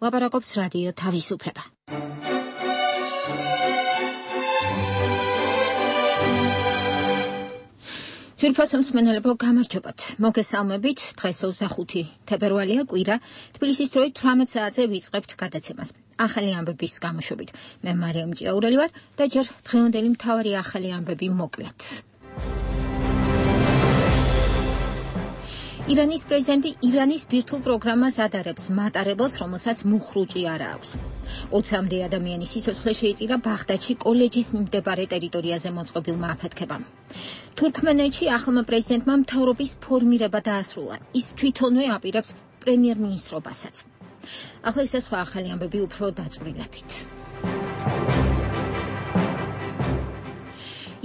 ლაპარაკობს რადიო თავისუფლება. ძვირფასო მსმენელებო, გამარჯობათ. მოგესალმებით. დღეს 25 თებერვალია, კვირა. თბილისის დროით 18 საათზე ვიწყებთ გადაცემას. ახალი ამბების გამოშვებით. მე მარიამ ჭიაურელი ვარ და ჯერ დღევანდელი მთავარი ახალი ამბები მოკლედ. ირანის პრეზიდენტი ირანის ბირთვულ პროგრამას ადარებს მატარებელს, რომელსაც მუხრუჭი არ აქვს. 20-მდე ადამიანის სიცოცხლე შეიწირა ბაღდადში კოლეჯის მიმდებარე ტერიტორიაზე მოწყობილმა აფეთქებამ. თურქმენეთში ახალმა პრეზიდენტმა მთავრობის ფორმირება დაასრულა. ის თვითონვე აპირებს პრემიერ-მინისტრობასაც. ახლა ისე სხვა ახალი ამბები უფრო დაწვრილებით.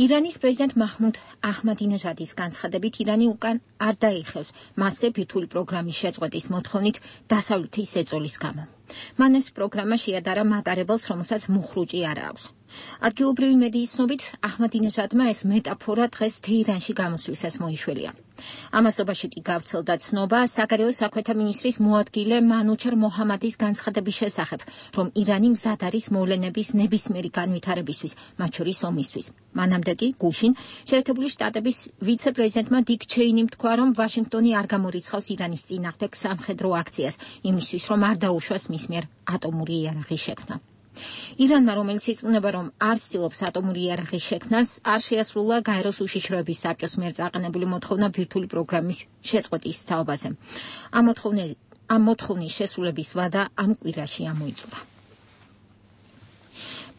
ირანის პრეზიდენტ მაჰმუდ აჰმადინეჟადის განცხადებით, ირანი უკან არ დაიხევს მასზე ბირთვული პროგრამის შეწყვეტის მოთხოვნით დასავლეთის ეწოლის გამო. მან ეს პროგრამა შეადარა მატარებელს, რომელსაც მუხრუჭი არ აქვს. ადგილობრივი მედიის ცნობით, აჰმადინეჟადმა ეს მეტაფორა დღეს თეირანში გამოსვლისას მოიშველია. ამასობაში კი გავრცელდა ცნობა საგარეო საქმეთა მინისტრის მოადგილე მანუჩარ მოჰამადის განცხადების შესახებ, რომ ირანი მზად არის მოვლენების ნებისმიერი განვითარებისთვის, მათ შორის ომისთვის. მანამდე კი გუშინ შეერთებული შტატების ვიცე-პრეზიდენტმა დიკ ჩეინიმ თქვა, რომ ვაშინგტონი არ გამორიცხავს ირანის წინააღმდეგ სამხედრო აქციას, იმისთვის, რომ არ დაუშვას მის მიერ ატომური იარაღის შექმნა. ირანმა, რომელიც ირწმუნება, რომ არ ცდილობს ატომური იარაღის შექმნას, არ შეასრულა გაეროს უშიშროების საბჭოს მიერ წაყენებული მოთხოვნა ბირთვული პროგრამის შეწყვეტის თაობაზე. ამ მოთხოვნის შესრულების ვადა ამ კვირაში ამოიწურა.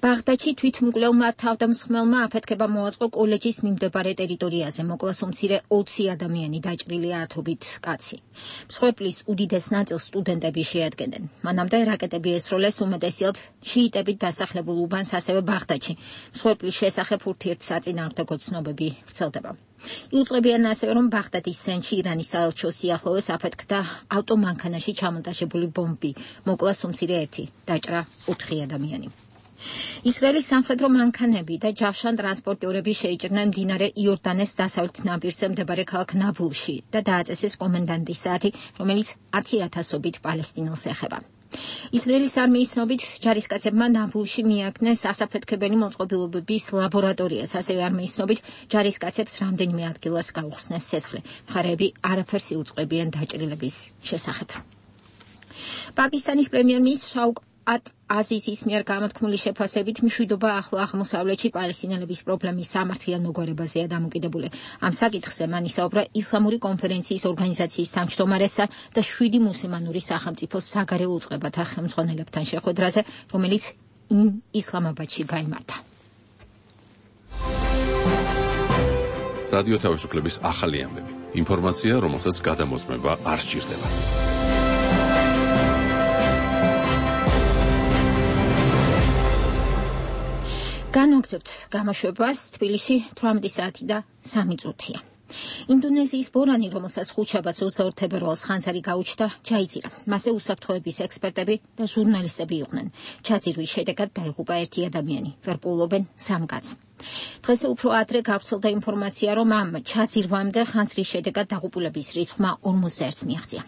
ბაღდადში თვითმკვლელმა თავდამსხმელმა აფეთქება მოაწყო კოლეჯის მიმდებარე ტერიტორიაზე. მოკლა უმცირე 20 ადამიანი, დაჭრილია ათობით კაცი. მსხვერპლის უდიდეს ნაწილს სტუდენტები შეადგენენ. მანამდე რაკეტები ესროლეს უმეტესად შიიტებით დასახლებულ უბანს, ასევე ბაღდადში. მსხვერპლის შესახებ ურთიერთსაწინააღმდეგო ცნობები ვრცელდება. იუწყებიან ასევე, რომ ბაღდადის ცენტრში ირანის საელჩო სიახლოვეს აფეთქდა ავტომანქანაში ჩამონტაჟებული ბომბი. მოკლა უმცირე 1, დაჭრა 4 ადამიანი. ისრაელის სამხედრო მანქანები და ჯავშან ტრანსპორტიორები შეიჭრნენ მდინარე იორდანეს დასავლეთ ნაპირზე მდებარე ქალაქ ნაბლუსში და დააწესეს კომენდანტის საათი, რომელიც 10,000-ობით პალესტინელს ეხება. ისრაელის არმიის ცნობით, ჯარისკაცებმა ნაბლუსში მიაგნეს ასაფეთქებელი მოწყობილობების ლაბორატორიას, ასევე არმიის ცნობით, ჯარისკაცებს რამდენიმე ადგილას გაუხსნეს სესხლი. მხარეები არაფერს იუწყებიან დაჭრილების შესახებ. პაკისტანის პრემიერ-მინისტრი შაუკ აზიზის მიერ გამოთქმული შეფასებით, მშვიდობა ახლო აღმოსავლეთში პალესტინელების პრობლემის სამართლიან მოგვარებაზეა დამოკიდებული. ამ საკითხზე მან ისაუბრა ისლამური კონფერენციის ორგანიზაციის თავმჯდომარესთან და 7 მუსლიმანური სახელმწიფოს საგარეო უწყებათა ხელმძღვანელებთან შეხვედრაზე, რომელიც ისლამაბადში გაიმართა. რადიო თავისუფლების ახალი ამბები. ინფორმაცია, რომელსაც გადამოწმება არ სჭირდება. განვაგრძობთ გამოშვებას. თბილისში 18 საათი და 3 წუთია. ინდონეზიის ბორანი, რომელსაც ხუთშაბათს 22 თებერვალს ხანძარი გაუჩნდა, ჩაიძირა. მასზე უსაფრთხოების ექსპერტები და ჟურნალისტები იყვნენ. ჩაძირვის შედეგად დაიღუპა 1 ადამიანი. ვერ პოულობენ 3 კაცს. დღესე უფრო ადრე გავრცელდა ინფორმაცია, რომ ამ ჩაძირვამდე ხანძრის შედეგად დაღუპულების რიცხვმა 51-ს მიაღწია.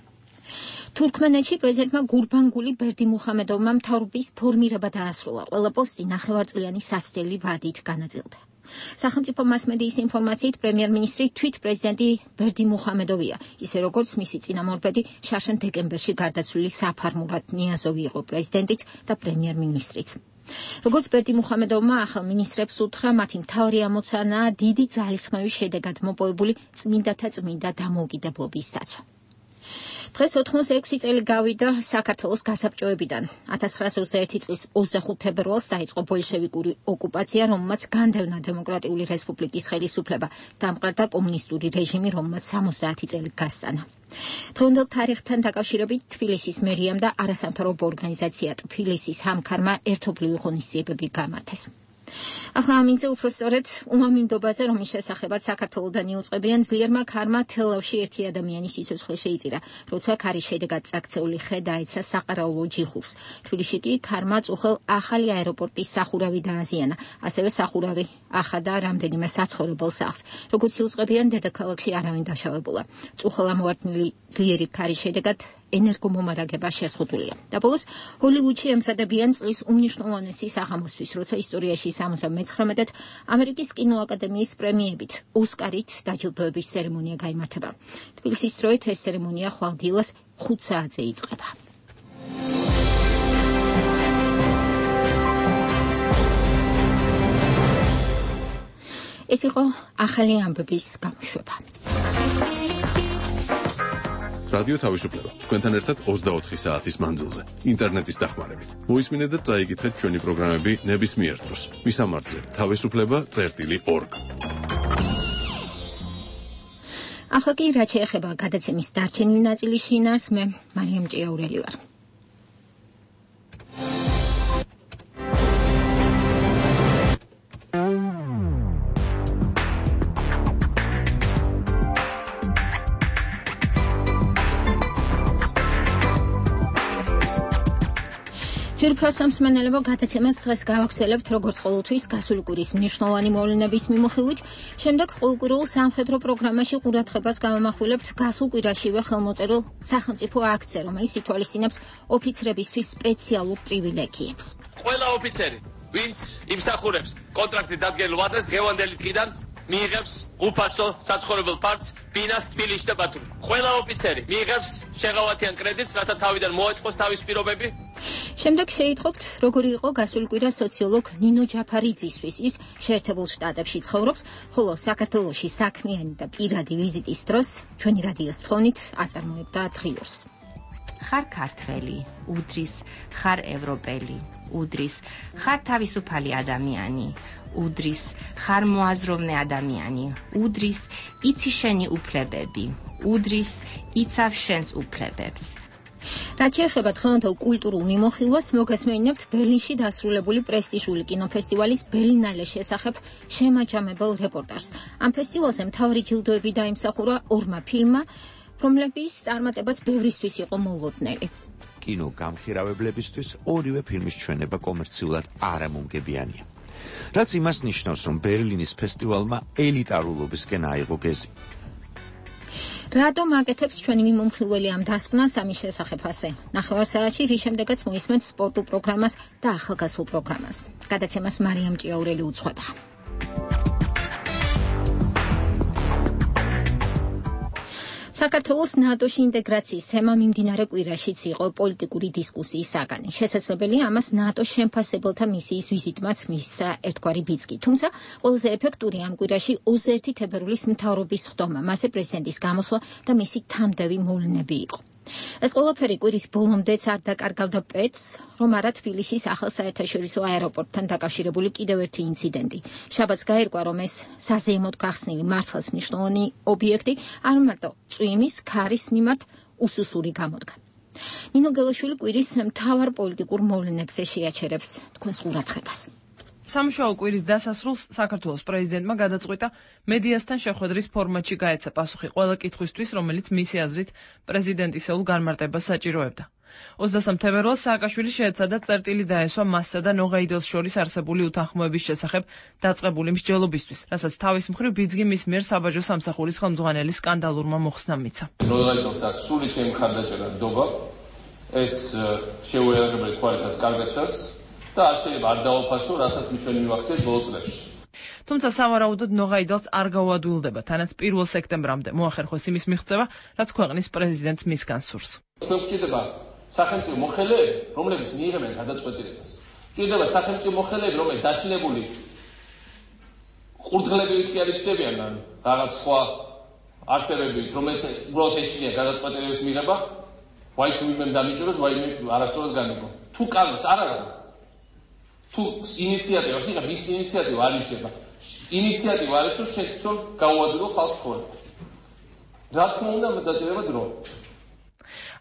თურქმენეთში პრეზიდენტმა გურბანგული ბერდიმუხამედოვმა მთავრობის ფორმირება დაასრულა. ყველა პოსტი ნახევარწლიანი სასწრელი ვადით განაწილდა. სახელმწიფო მასმედიის ინფორმაციით, პრემიერ-მინისტრი თვით პრეზიდენტი ბერდიმუხამედოვია, ისე როგორც მისი წინამორბედი შაშენ დეკემბერში გარდაცვლილი საფარმურატ ნიაზოვი იყო პრეზიდენტიც და პრემიერ-მინისტრიც. როგორც ბერდიმუხამედოვმა ახალ მინისტრებს უთხრა, მათი მთავარი ამოცანაა დიდი ძალისხმევის შედეგად მოპოვებული წმინდათა წმინდა დამოუკიდებლობის დაცვა. დღეს 86 წელი გავიდა საქართველოს გასაბჭოებიდან. 1921 წლის 25 თებერვალს დაიწყო ბოლშევიკური ოკუპაცია, რომელმაც განდევნა დემოკრატიული რესპუბლიკის ხელისუფლება, დამყარდა კომუნისტური რეჟიმი, რომელმაც 70 წელი გასტანა. დღევანდელ თარიღთან დაკავშირებით თბილისის მერიამ და არასამთავრობო ორგანიზაცია თბილისის ჰამქარმა ერთობლივი ღონისძიებები გამართეს. ახლა ამინძე უფრო სწორედ უმამინდობაზე, რომის შესახებაც საქართველოდან იუწყებიან, ძლიერმა ქარმა თელავში 1 ადამიანის სიცოცხლე შეიწირა, როცა ქარის შედეგად წაქცეული ხე დაეცა საყარაულო ჯიხურს. თბილისში კი ქარმა წუხელ ახალი აეროპორტის სახურავი დააზიანა, ასევე სახურავი ახადა რამდენიმე საცხოვრებელ სახლს. როგორც იუწყებიან, დედაქალაქში არავინ დაშავებულა. წუხელ ამოვარდნილი ძლიერი ქარის შედეგად ენერგომომარაგება შეზღუდულია. და ბოლოს ჰოლივუდში ემზადებიან წლის უმნიშვნელოვანესი საღამოსთვის, როცა ისტორიაში 79-ად ამერიკის კინოაკადემიის პრემიებით, ოსკარით დაჯილდოების ცერემონია გაიმართება. თბილისის დროით ეს ცერემონია ხვალ დილას 5 საათზე იწყება. ეს იყო ახალი ამბების გამოშვება. რადიო თავისუფლება. თქვენთან ერთად 24 საათის მანძილზე. ინტერნეტის დახმარებით. მოისმინეთ და წაიგეთ ჩვენი პროგრამები ნებისმიერ დროს. მისამართზე თავისუფლება.org. ახლა კი რაც შეეხება გადაცემის დარჩენილ ნაწილის შინაარს, მე მარიამ ჭიაურელი ვარ. ძვირფასამსმენელებო გადაცემას დღეს გავაგრძელებთ როგორც ყოველთვის გასული კვირის მნიშვნელოვანი მოვლენების მიმოხილვით. შემდეგ ყოველკვირეულ სამხედრო პროგრამაში ყურადღებას გავამახვილებთ გასულ კვირაშივე ხელმოწერილ სახელმწიფო აქტზე, რომელიც ითვალისწინებს ოფიცრებისთვის სპეციალურ პრივილეგიებს. ყველა ოფიცერი, ვინც იმსახურებს კონტრაქტით დადგენილ ვადას დღევანდელი დღიდან მიიღებს უფასო საცხოვრებელ პარტს ბინას თბილისში და ბათუმში. ყველა ოფიცერი მიიღებს შეღავათიან კრედიტს, რათა თავიდან მოეწყოს თავის პირობები. შემდეგ შეიტყობთ, როგორი იყო გასული კვირა სოციოლოგ ნინო ჯაფარიძისთვის. ის შეერთებულ შტატებში ცხოვრობს, ხოლო საქართველოში საქმიანი და პირადი ვიზიტის დროს ჩვენი რადიოს თხოვნით აწარმოებდა დღიურს. ხარ ქართველი, უდრის, ხარ ევროპელი, უდრის, ხარ თავისუფალი ადამიანი, უდრის, ხარ მოაზროვნე ადამიანი, უდრის, იცი შენი უფლებები, უდრის, იცავ შენს უფლებებს. რაც შეეხება დღევანდელ კულტურულ მიმოხილვას, მოგესმენინებთ ბერლინში დასრულებული პრესტიჟული კინოფესტივალის ბერლინალეს შესახებ შემაჯამებელ რეპორტაჟს. ამ ფესტივალზე მთავარი ჯილდოები დაიმსახურა ორმა ფილმმა, რომლების წარმატებაც ბევრისთვის იყო მოულოდნელი. კინო გამხირავებლებისთვის ორივე ფილმის ჩვენება კომერციულად არამომგებიანია. რაც იმას ნიშნავს, რომ ბერლინის ფესტივალმა ელიტარულობისკენ აიღო გეზი. რატომ აკეთებს ჩვენი მიმომხილველი ამ დასკვნას ამის შესახებ ასე? ნახევარსაათში რის შემდეგაც მოისმენთ სპორტულ პროგრამას და ახალგაზრდულ პროგრამას. გადაცემას მარიამ ჭიაურელი უძღვება. საქართველოს ნატოში ინტეგრაციის თემა მიმდინარე კვირაშიც იყო პოლიტიკური დისკუსიის საგანი. შესაძლებელია ამას ნატოს შემფასებელთა მისიის ვიზიტმაც მისცა ერთგვარი ბიძგი. თუმცა ყველაზე ეფექტური ამ კვირაში 21 თებერვლის მთავრობის ხდომა, მასზე პრეზიდენტის გამოსვლა და მისი თამდევი მოვლენები იყო. ეს ყველაფერი კვირის ბოლომდეც არ დაკარგავდა პეტს, რომ არა თბილისის ახალ საერთაშორისო აეროპორტთან დაკავშირებული კიდევ ერთი ინციდენტი. შაბათს გაირკვა, რომ ეს საზეიმოდ გახსნილი მართლაც მნიშვნელოვანი ობიექტი არ მარტო წვიმის ქარის მიმართ უსუსური გამოდგა. ნინო გელაშვილი კვირის მთავარ პოლიტიკურ მოვლენებზე შეაჩერებს თქვენს ყურადღებას. სამუშაო კვირის დასასრულს საქართველოს პრეზიდენტმა გადაწყვიტა მედიასთან შეხვედრის ფორმატში გაეცა პასუხი ყველა კითხვისთვის, რომელიც მისი აზრით პრეზიდენტისეულ განმარტებას საჭიროებდა. 23 თებერვალს სააკაშვილი შეეცადა წერტილი დაესვა მასსა და ნოღაიდელს შორის არსებული უთანხმოების შესახებ დაწყებული მსჯელობისთვის, რასაც თავის მხრივ ბიძგი მის მიერ საბაჟო სამსახურის ხელმძღვანელის სკანდალურმა მოხსნამ მიცა. ნოღაიდელს აქვს სული ჩემი მხარდაჭერა ნდობა, ეს შეუერაგებელი თვალითაც კარგად ჩანს. და არ შეიძლება არ დაუფასო, რასაც ჩვენ მივახციეთ ბოლო წლებში. თუმცა სავარაუდოდ ნოღაიდელს არ გაუადვილდება, თანაც 1 სექტემბრამდე მოახერხოს იმის მიღწევა, რაც ქვეყნის პრეზიდენტს მისგან სურს. ჩვენ გვჭირდება სახელმწიფო მოხელეები, რომლებიც მიიღებენ გადაწყვეტილებას. გვჭირდება სახელმწიფო მოხელეები, რომლებიც დაშინებული ყურდღლებივით კი არ იჩნდებიან, ან რაღაც სხვა არსებებით, რომელსაც უბრალოდ ეშინია გადაწყვეტილების მიღება, ვაი თუ ვინმე დამიჭიროს, ვაი არასწორად განიგო. თუ კანონს არ არის თუ ინიციატივას იღებ, ის ინიციატივა არ იშება. ინიციატივა არის, რომ შეცდომ გაუადვილო ხალხს ცხოვრება. რა თქმა უნდა, მას დაჭირება დრო.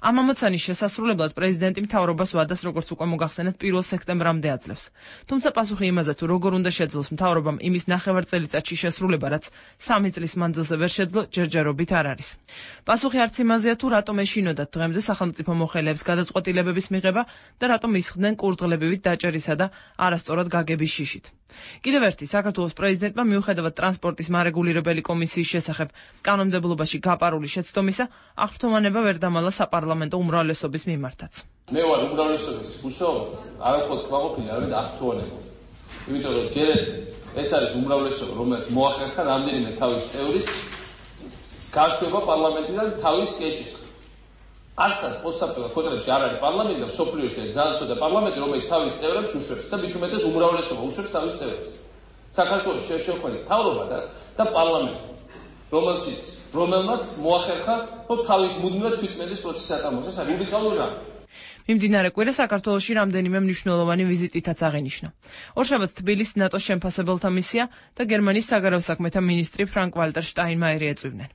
ამ ამოცანის შესასრულებლად პრეზიდენტი მთავრობას ვადას, როგორც უკვე მოგახსენეთ, 1 სექტემბრამდე აძლევს. თუმცა პასუხი იმაზე, თუ როგორ უნდა შეძლოს მთავრობამ იმის ნახევარწელიწადში შესრულება, რაც 3 წლის მანძილზე ვერ შეძლო, ჯერჯერობით არ არის. პასუხი არც იმაზეა, თუ რატომ ეშინოდათ დღემდე სახელმწიფო მოხელეებს გადაწყვეტილებების მიღება და რატომ ისხდნენ კურდღლებივით დაჭერისა და არასწორად გაგების შიშით. კიდევ ერთი საქართველოს პრეზიდენტმა მიუხედავად ტრანსპორტის მარეგულირებელი კომისიის შესახებ კანონმდებლობაში გაპარული შეცდომისა, აღფრთოვანება ვერ დამალა საპარლამენტო უმრავლესობის მიმართაც. მე ვარ უმრავლესობის მუშაობა, არახოთ კმაყოფილი, არამედ აღფრთოვანება. იმიტომ რომ ჯერ ეს არის უმრავლესობა, რომელიც მოახერხა რამდენიმე თავის წევრის გაშვება პარლამენტიდან თავის კეჭის. არსად პოსტსაბჭოთა ქვეყნებში არ არის პარლამენტი და სოფლიოში ძალიან ცოტა პარლამენტი, რომელიც თავის წევრებს უშვებს და მით უმეტეს უმრავლესობა უშვებს თავის წევრებს. საქართველოს შევხვდით მთავრობა და პარლამენტი, რომელმაც მოახერხა, რომ თავის მუდმივად თვითწმენდის პროცესი ატაროს. ეს არის უნიკალური რამ. მიმდინარე კვირა საქართველოში რამდენიმე მნიშვნელოვანი ვიზიტითაც აღინიშნა. ორშაბათს თბილისის ნატოს შემფასებელთა მისია და გერმანიის საგარეო საქმეთა მინისტრი ფრანკ-ვალტერ შტაინმაიერი ეწვივნენ.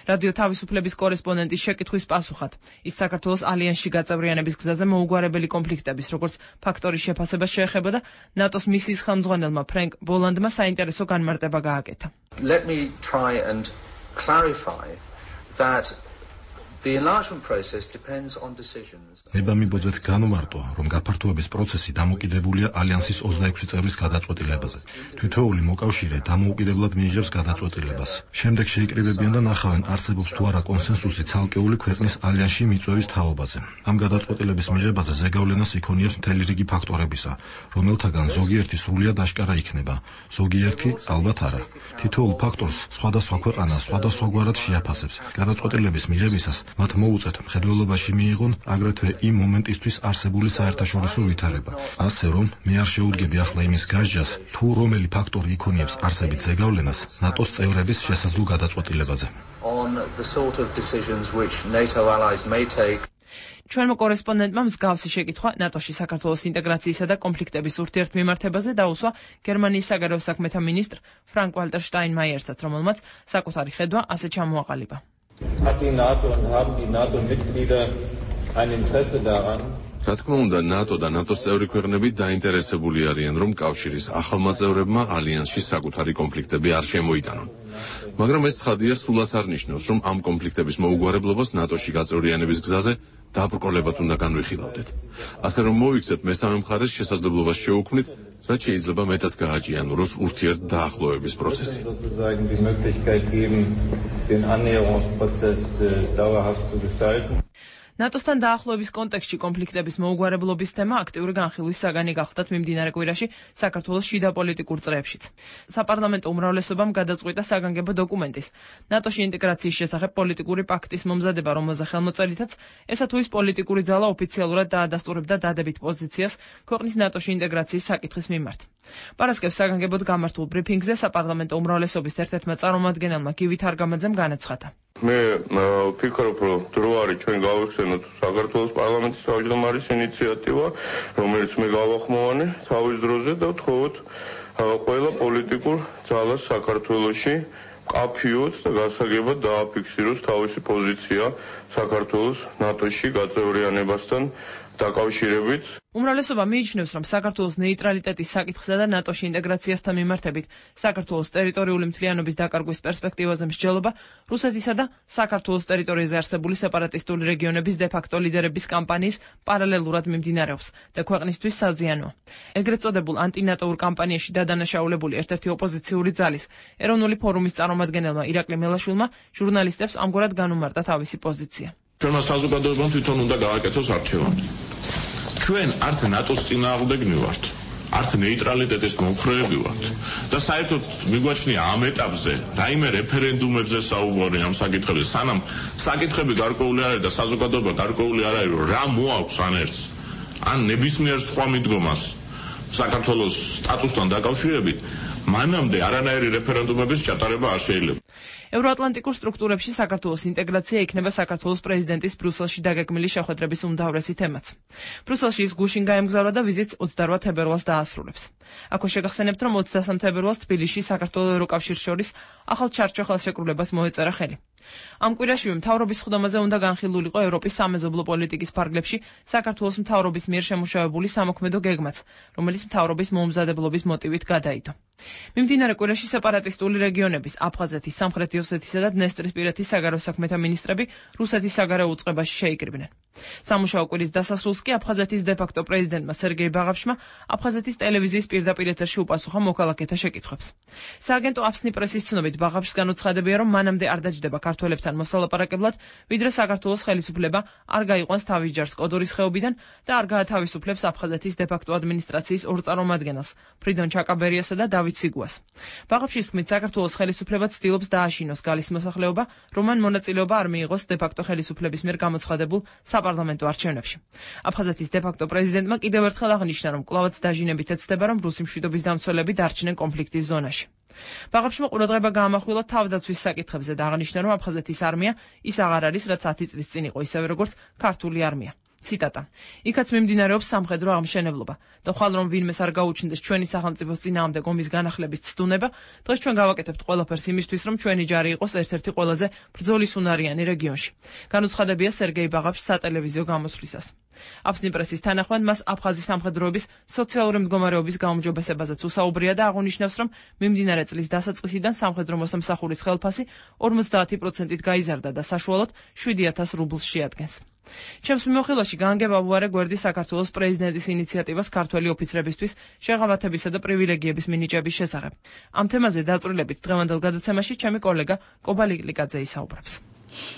რადიო თავისუფლების კორესპონდენტის შეკითხვის პასუხად, ის საქართველოს ალიანსში გაწევრიანების გზაზე მოუგვარებელი კონფლიქტების როგორც ფაქტორის შეფასებას შეეხებოდა ნატოს მისიის ხელმძღვანელმა ფრენკ ბოლანდმა საინტერესო განმარტება გააკეთა. Let me try and clarify that the enlargement process depends on decisions. ნება მიბოძეთ განმარტო, რომ გაფართოების პროცესი დამოკიდებულია ალიანსის 26 წევრის გადაწყვეტილებაზე. თითოეული მოკავშირე დამოუკიდებლად მიიღებს გადაწყვეტილებას. შემდეგ შეიკრიბებიან და ნახავენ, არსებობს თუ არა კონსენსუსი ცალკეული ქვეყნის ალიანსში მიწვევის თაობაზე. ამ გადაწყვეტილების მიღებაზე ზეგავლენას იქონიათ მთელი რიგი ფაქტორებისა, რომელთაგან ზოგიერთი სრულიად აშკარა იქნება, ზოგიერთი ალბათ არა. თითოეულ ფაქტორს სხვადასხვა ქვეყანა სხვადასხვაგვარად შეაფასებს. გადაწყვეტილების მიღებისას მათ მოუწევთ მხედველობაში მიიღონ აგრეთვე იმ მომენტისთვის არსებული საერთაშორისო ვითარება. ასე რომ, მე არ შეუდგები ახლა იმის გასჯას, თუ რომელი ფაქტორი იქონიებს არსებით ზეგავლენას ნატოს წევრების შესაძლო გადაწყვეტილებაზე. ჩვენმა კორესპონდენტმა მსგავსი შეკითხვა ნატოში საქართველოს ინტეგრაციისა და კონფლიქტების ურთიერთმიმართებაზე დაუსვა გერმანიის საგარეო საქმეთა მინისტრ ფრანკ-ვალტერ შტაინმაიერსაც, რომელმაც საკუთარი ხედვა ასე ჩამოაყალიბა. Hat die NATO und haben die NATO-Mitglieder ein Interesse daran? რა თქმა უნდა, ნატო და ნატოს წევრი ქვეყნები დაინტერესებული არიან, რომ კავშირის ახალმა წევრებმა ალიანსში საკუთარი კონფლიქტები არ შემოიტანონ. მაგრამ ეს ცხადია, სულაც არ ნიშნავს, რომ ამ კონფლიქტების მოუგვარებლობას ნატოში გაწევრიანების გზაზე დაბრკოლებად უნდა განვიხილავდეთ. ასე რომ მოვიქცეთ მესამე მხარეს შესაძლებლობას შეუქმნით, რაც შეიძლება მეტად გააჭიანუროს ურთიერთ დაახლოების პროცესი. ნატოსთან დაახლოების კონტექსტში კონფლიქტების მოუგვარებლობის თემა აქტიური განხილვის საგანი გახდათ მიმდინარე კვირაში საქართველოს შიდა პოლიტიკურ წრეებშიც. საპარლამენტო უმრავლესობამ გადაწყვიტა საგანგებო დოკუმენტის ნატოში ინტეგრაციის შესახებ პოლიტიკური პაქტის მომზადება, რომელზე ხელმოწერითაც ესა თუ ის პოლიტიკური ძალა ოფიციალურად დაადასტურებდა დადებით პოზიციას ქვეყნის ნატოში ინტეგრაციის საკითხის მიმართ. პარასკევს საგანგებოდ გამართულ ბრიფინგზე საპარლამენტო უმრავლესობის ერთ-ერთმა წარმომადგენელმა გივი თარგამაძემ განაცხადა. მე ვფიქრობ, რომ დრო არის ჩვენ გავიხსენოთ საქართველოს პარლამენტის თავმჯდომარის ინიციატივა, რომელიც მე გავახმოვანე თავის დროზე და ვთხოვოთ ყველა პოლიტიკურ ძალას საქართველოში მკაფიოდ და გასაგებად დააფიქსიროს თავისი პოზიცია საქართველოს ნატოში გაწევრიანებასთან დაკავშირებით. უმრავლესობა მიიჩნევს, რომ საქართველოს ნეიტრალიტეტის საკითხსა და ნატოში ინტეგრაციასთან მიმართებით საქართველოს ტერიტორიული მთლიანობის დაკარგვის პერსპექტივაზე მსჯელობა რუსეთისა და საქართველოს ტერიტორიაზე არსებული სეპარატისტული რეგიონების დე-ფაქტო ლიდერების კამპანიის პარალელურად მიმდინარეობს და ქვეყნისთვის საზიანოა. ეგრეთ წოდებულ ანტინატოურ კამპანიაში დადანაშაულებული ერთ-ერთი ოპოზიციური ძალის ეროვნული ფორუმის წარმომადგენელმა ირაკლი მელაშვილმა ჟურნალისტებს ამგვარად განუმარტა თავისი პოზიცია. ჩვენმა საზოგადოებამ თვითონ უნდა გააკეთოს არჩევანი. ჩვენ არც ნატოს წინააღმდეგნი ვართ, არც ნეიტრალიტეტის მომხრეები ვართ და საერთოდ მიგვაჩნია ამ ეტაპზე რაიმე რეფერენდუმებზე საუბარი ამ საკითხებზე, სანამ საკითხები გარკვეული არ არის და საზოგადოება გარკვეული არ არის, რომ რა მოაქვს ან ერთს, ან ნებისმიერ სხვა მიდგომას საქართველოს სტატუსთან დაკავშირებით, მანამდე არანაირი რეფერენდუმების ჩატარება არ შეიძლება. ევროატლანტიკურ სტრუქტურებში საქართველოს ინტეგრაცია იქნება საქართველოს პრეზიდენტის ბრიუსელში დაგეგმილი შეხვედრების უმთავრესი თემაც. ბრიუსელში ის გუშინ გაემგზავრა და ვიზიტს 28 თებერვალს დაასრულებს. აქვე შეგახსენებთ, რომ 23 თებერვალს თბილისში საქართველოს ევროკავშირს შორის ახალ ჩარჩო ხელშეკრულებას მოეწერა ხელი. ამ კვირაშივე მთავრობის სხდომაზე უნდა განხილულიყო ევროპის სამეზობლო პოლიტიკის ფარგლებში საქართველოს მთავრობის მიერ შემუშავებული სამოქმედო გეგმაც, რომელიც მთავრობის მოუმზადებლობის მოტივით გადაიდო. მიმდინარე კვირაში სეპარატისტული რეგიონების აფხაზეთის, სამხრეთი ოსეთისა და დნესტრისპირეთის საგარეო საქმეთა მინისტრები რუსეთის საგარეო უწყებაში შეიკრიბნენ. სამუშაო კვირის დასასრულს კი აფხაზეთის დე-ფაქტო პრეზიდენტმა სერგეი ბაღაფშმა აფხაზეთის ტელევიზიის პირდაპირ ეთერში უპასუხა მოქალაქეთა შეკითხვებს. სააგენტო აფსნი პრესის ცნობით ბაღაფშს განუცხადებია, რომ მანამდე არ დაჯდება ქართველებთან მოსალაპარაკებლად, ვიდრე საქართველოს ხელისუფლება არ გაიყვანს თავის ჯარს კოდორის ხეობიდან და არ გაათავისუფლებს აფხაზეთის დე-ფაქტო ადმინისტრაციის ორ წარმომადგენელს, ფრიდონ ჩაკაბერიასა და დავით სიგუას. ბაღაფშის თქმით, საქართველოს ხელისუფლება ცდილობს დააშინოს გალის მოსახლეობა, რომ მან მონაწილეობა არ მიიღოს დე-ფაქტო ხელისუფლების მიერ გამოცხადებულ საპარლამენტო არჩევნებში. აფხაზეთის დე-ფაქტო პრეზიდენტმა კიდევ ერთხელ აღნიშნა, რომ კვლავაც დაჟინებით ეცდება, რომ რუსი მშვიდობის დამცველები დარჩნენ კონფლიქტის ზონაში. ბაღაფშმა ყურადღება გაამახვილა თავდაცვის საკითხებზე და აღნიშნა, რომ აფხაზეთის არმია ის აღარ არის, რაც 10 წლის წინ იყო, ისევე როგორც ქართული არმია. ციტატა. იქაც მიმდინარეობს სამხედრო აღმშენებლობა და ხვალ რომ ვინმეს არ გაუჩნდეს ჩვენი სახელმწიფოს წინააღმდეგ ომის განახლების ცდუნება, დღეს ჩვენ გავაკეთებთ ყველაფერს იმისთვის, რომ ჩვენი ჯარი იყოს ერთ-ერთი ყველაზე ბრძოლისუნარიანი რეგიონში. განუცხადებია სერგეი ბაღაფშს სატელევიზიო გამოსვლისას. აფსნი პრესის თანახმად მას აფხაზის სამხედროების სოციალური მდგომარეობის გაუმჯობესებაზეც უსაუბრია და აღნიშნავს, რომ მიმდინარე წლის დასაწყისიდან სამხედრო მოსამსახურის ხელფასი 50%-ით გაიზარდა და საშუალოდ 7000 რუბლს შეადგენს. ჩემს მიმოხილვაში გაანგებავუარე გვერდი საქართველოს პრეზიდენტის ინიციატივას ქართველი ოფიცრებისთვის შეღავათებისა და პრივილეგიების მინიჭების შესახებ. ამ თემაზე დაწვრილებით დღევანდელ გადაცემაში ჩემი კოლეგა კობა ლიკლიკაძე ისაუბრებს.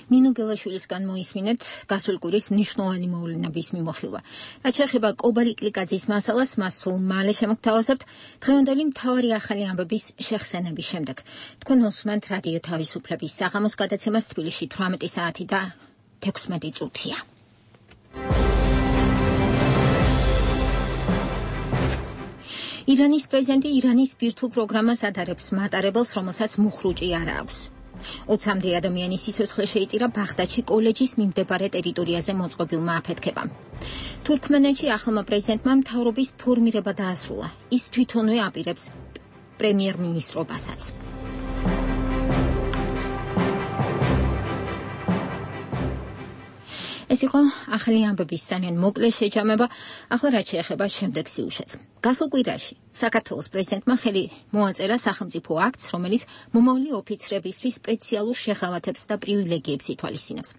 ნინო გელაშვილისგან მოისმინეთ გასულ კვირის მნიშვნელოვანი მოვლენების მიმოხილვა. რაც შეეხება კობა ლიკლიკაძის მასალას, მას სულ მალე შემოგთავაზებთ დღევანდელი მთავარი ახალი ამბების შეხსენების შემდეგ. თქვენ უსმენთ რადიო თავისუფლების საღამოს გადაცემას თბილისში 18 საათი და 16 წუთია. ირანის პრეზიდენტი ირანის ბირთვულ პროგრამას ადარებს მატარებელს, რომელსაც მუხრუჭი არ აქვს. 20-მდე ადამიანის სიცოცხლე შეიწირა ბაღდადში კოლეჯის მიმდებარე ტერიტორიაზე მოწყობილმა აფეთქებამ. თურქმენეთში ახალმა პრეზიდენტმა მთავრობის ფორმირება დაასრულა. ის თვითონვე აპირებს პრემიერ-მინისტრობასაც. ეს იყო ახალი ამბების სანენ მოკლე შეჯამება, ახლა რაც შეეხება შემდეგ სიუჟეტს. გასულ კვირაში საქართველოს პრეზიდენტმა ხელი მოაწერა სახელმწიფო აქტს, რომელიც მომავალი ოფიცრებისთვის სპეციალურ შეღავათებს და პრივილეგიებს ითვალისწინებს.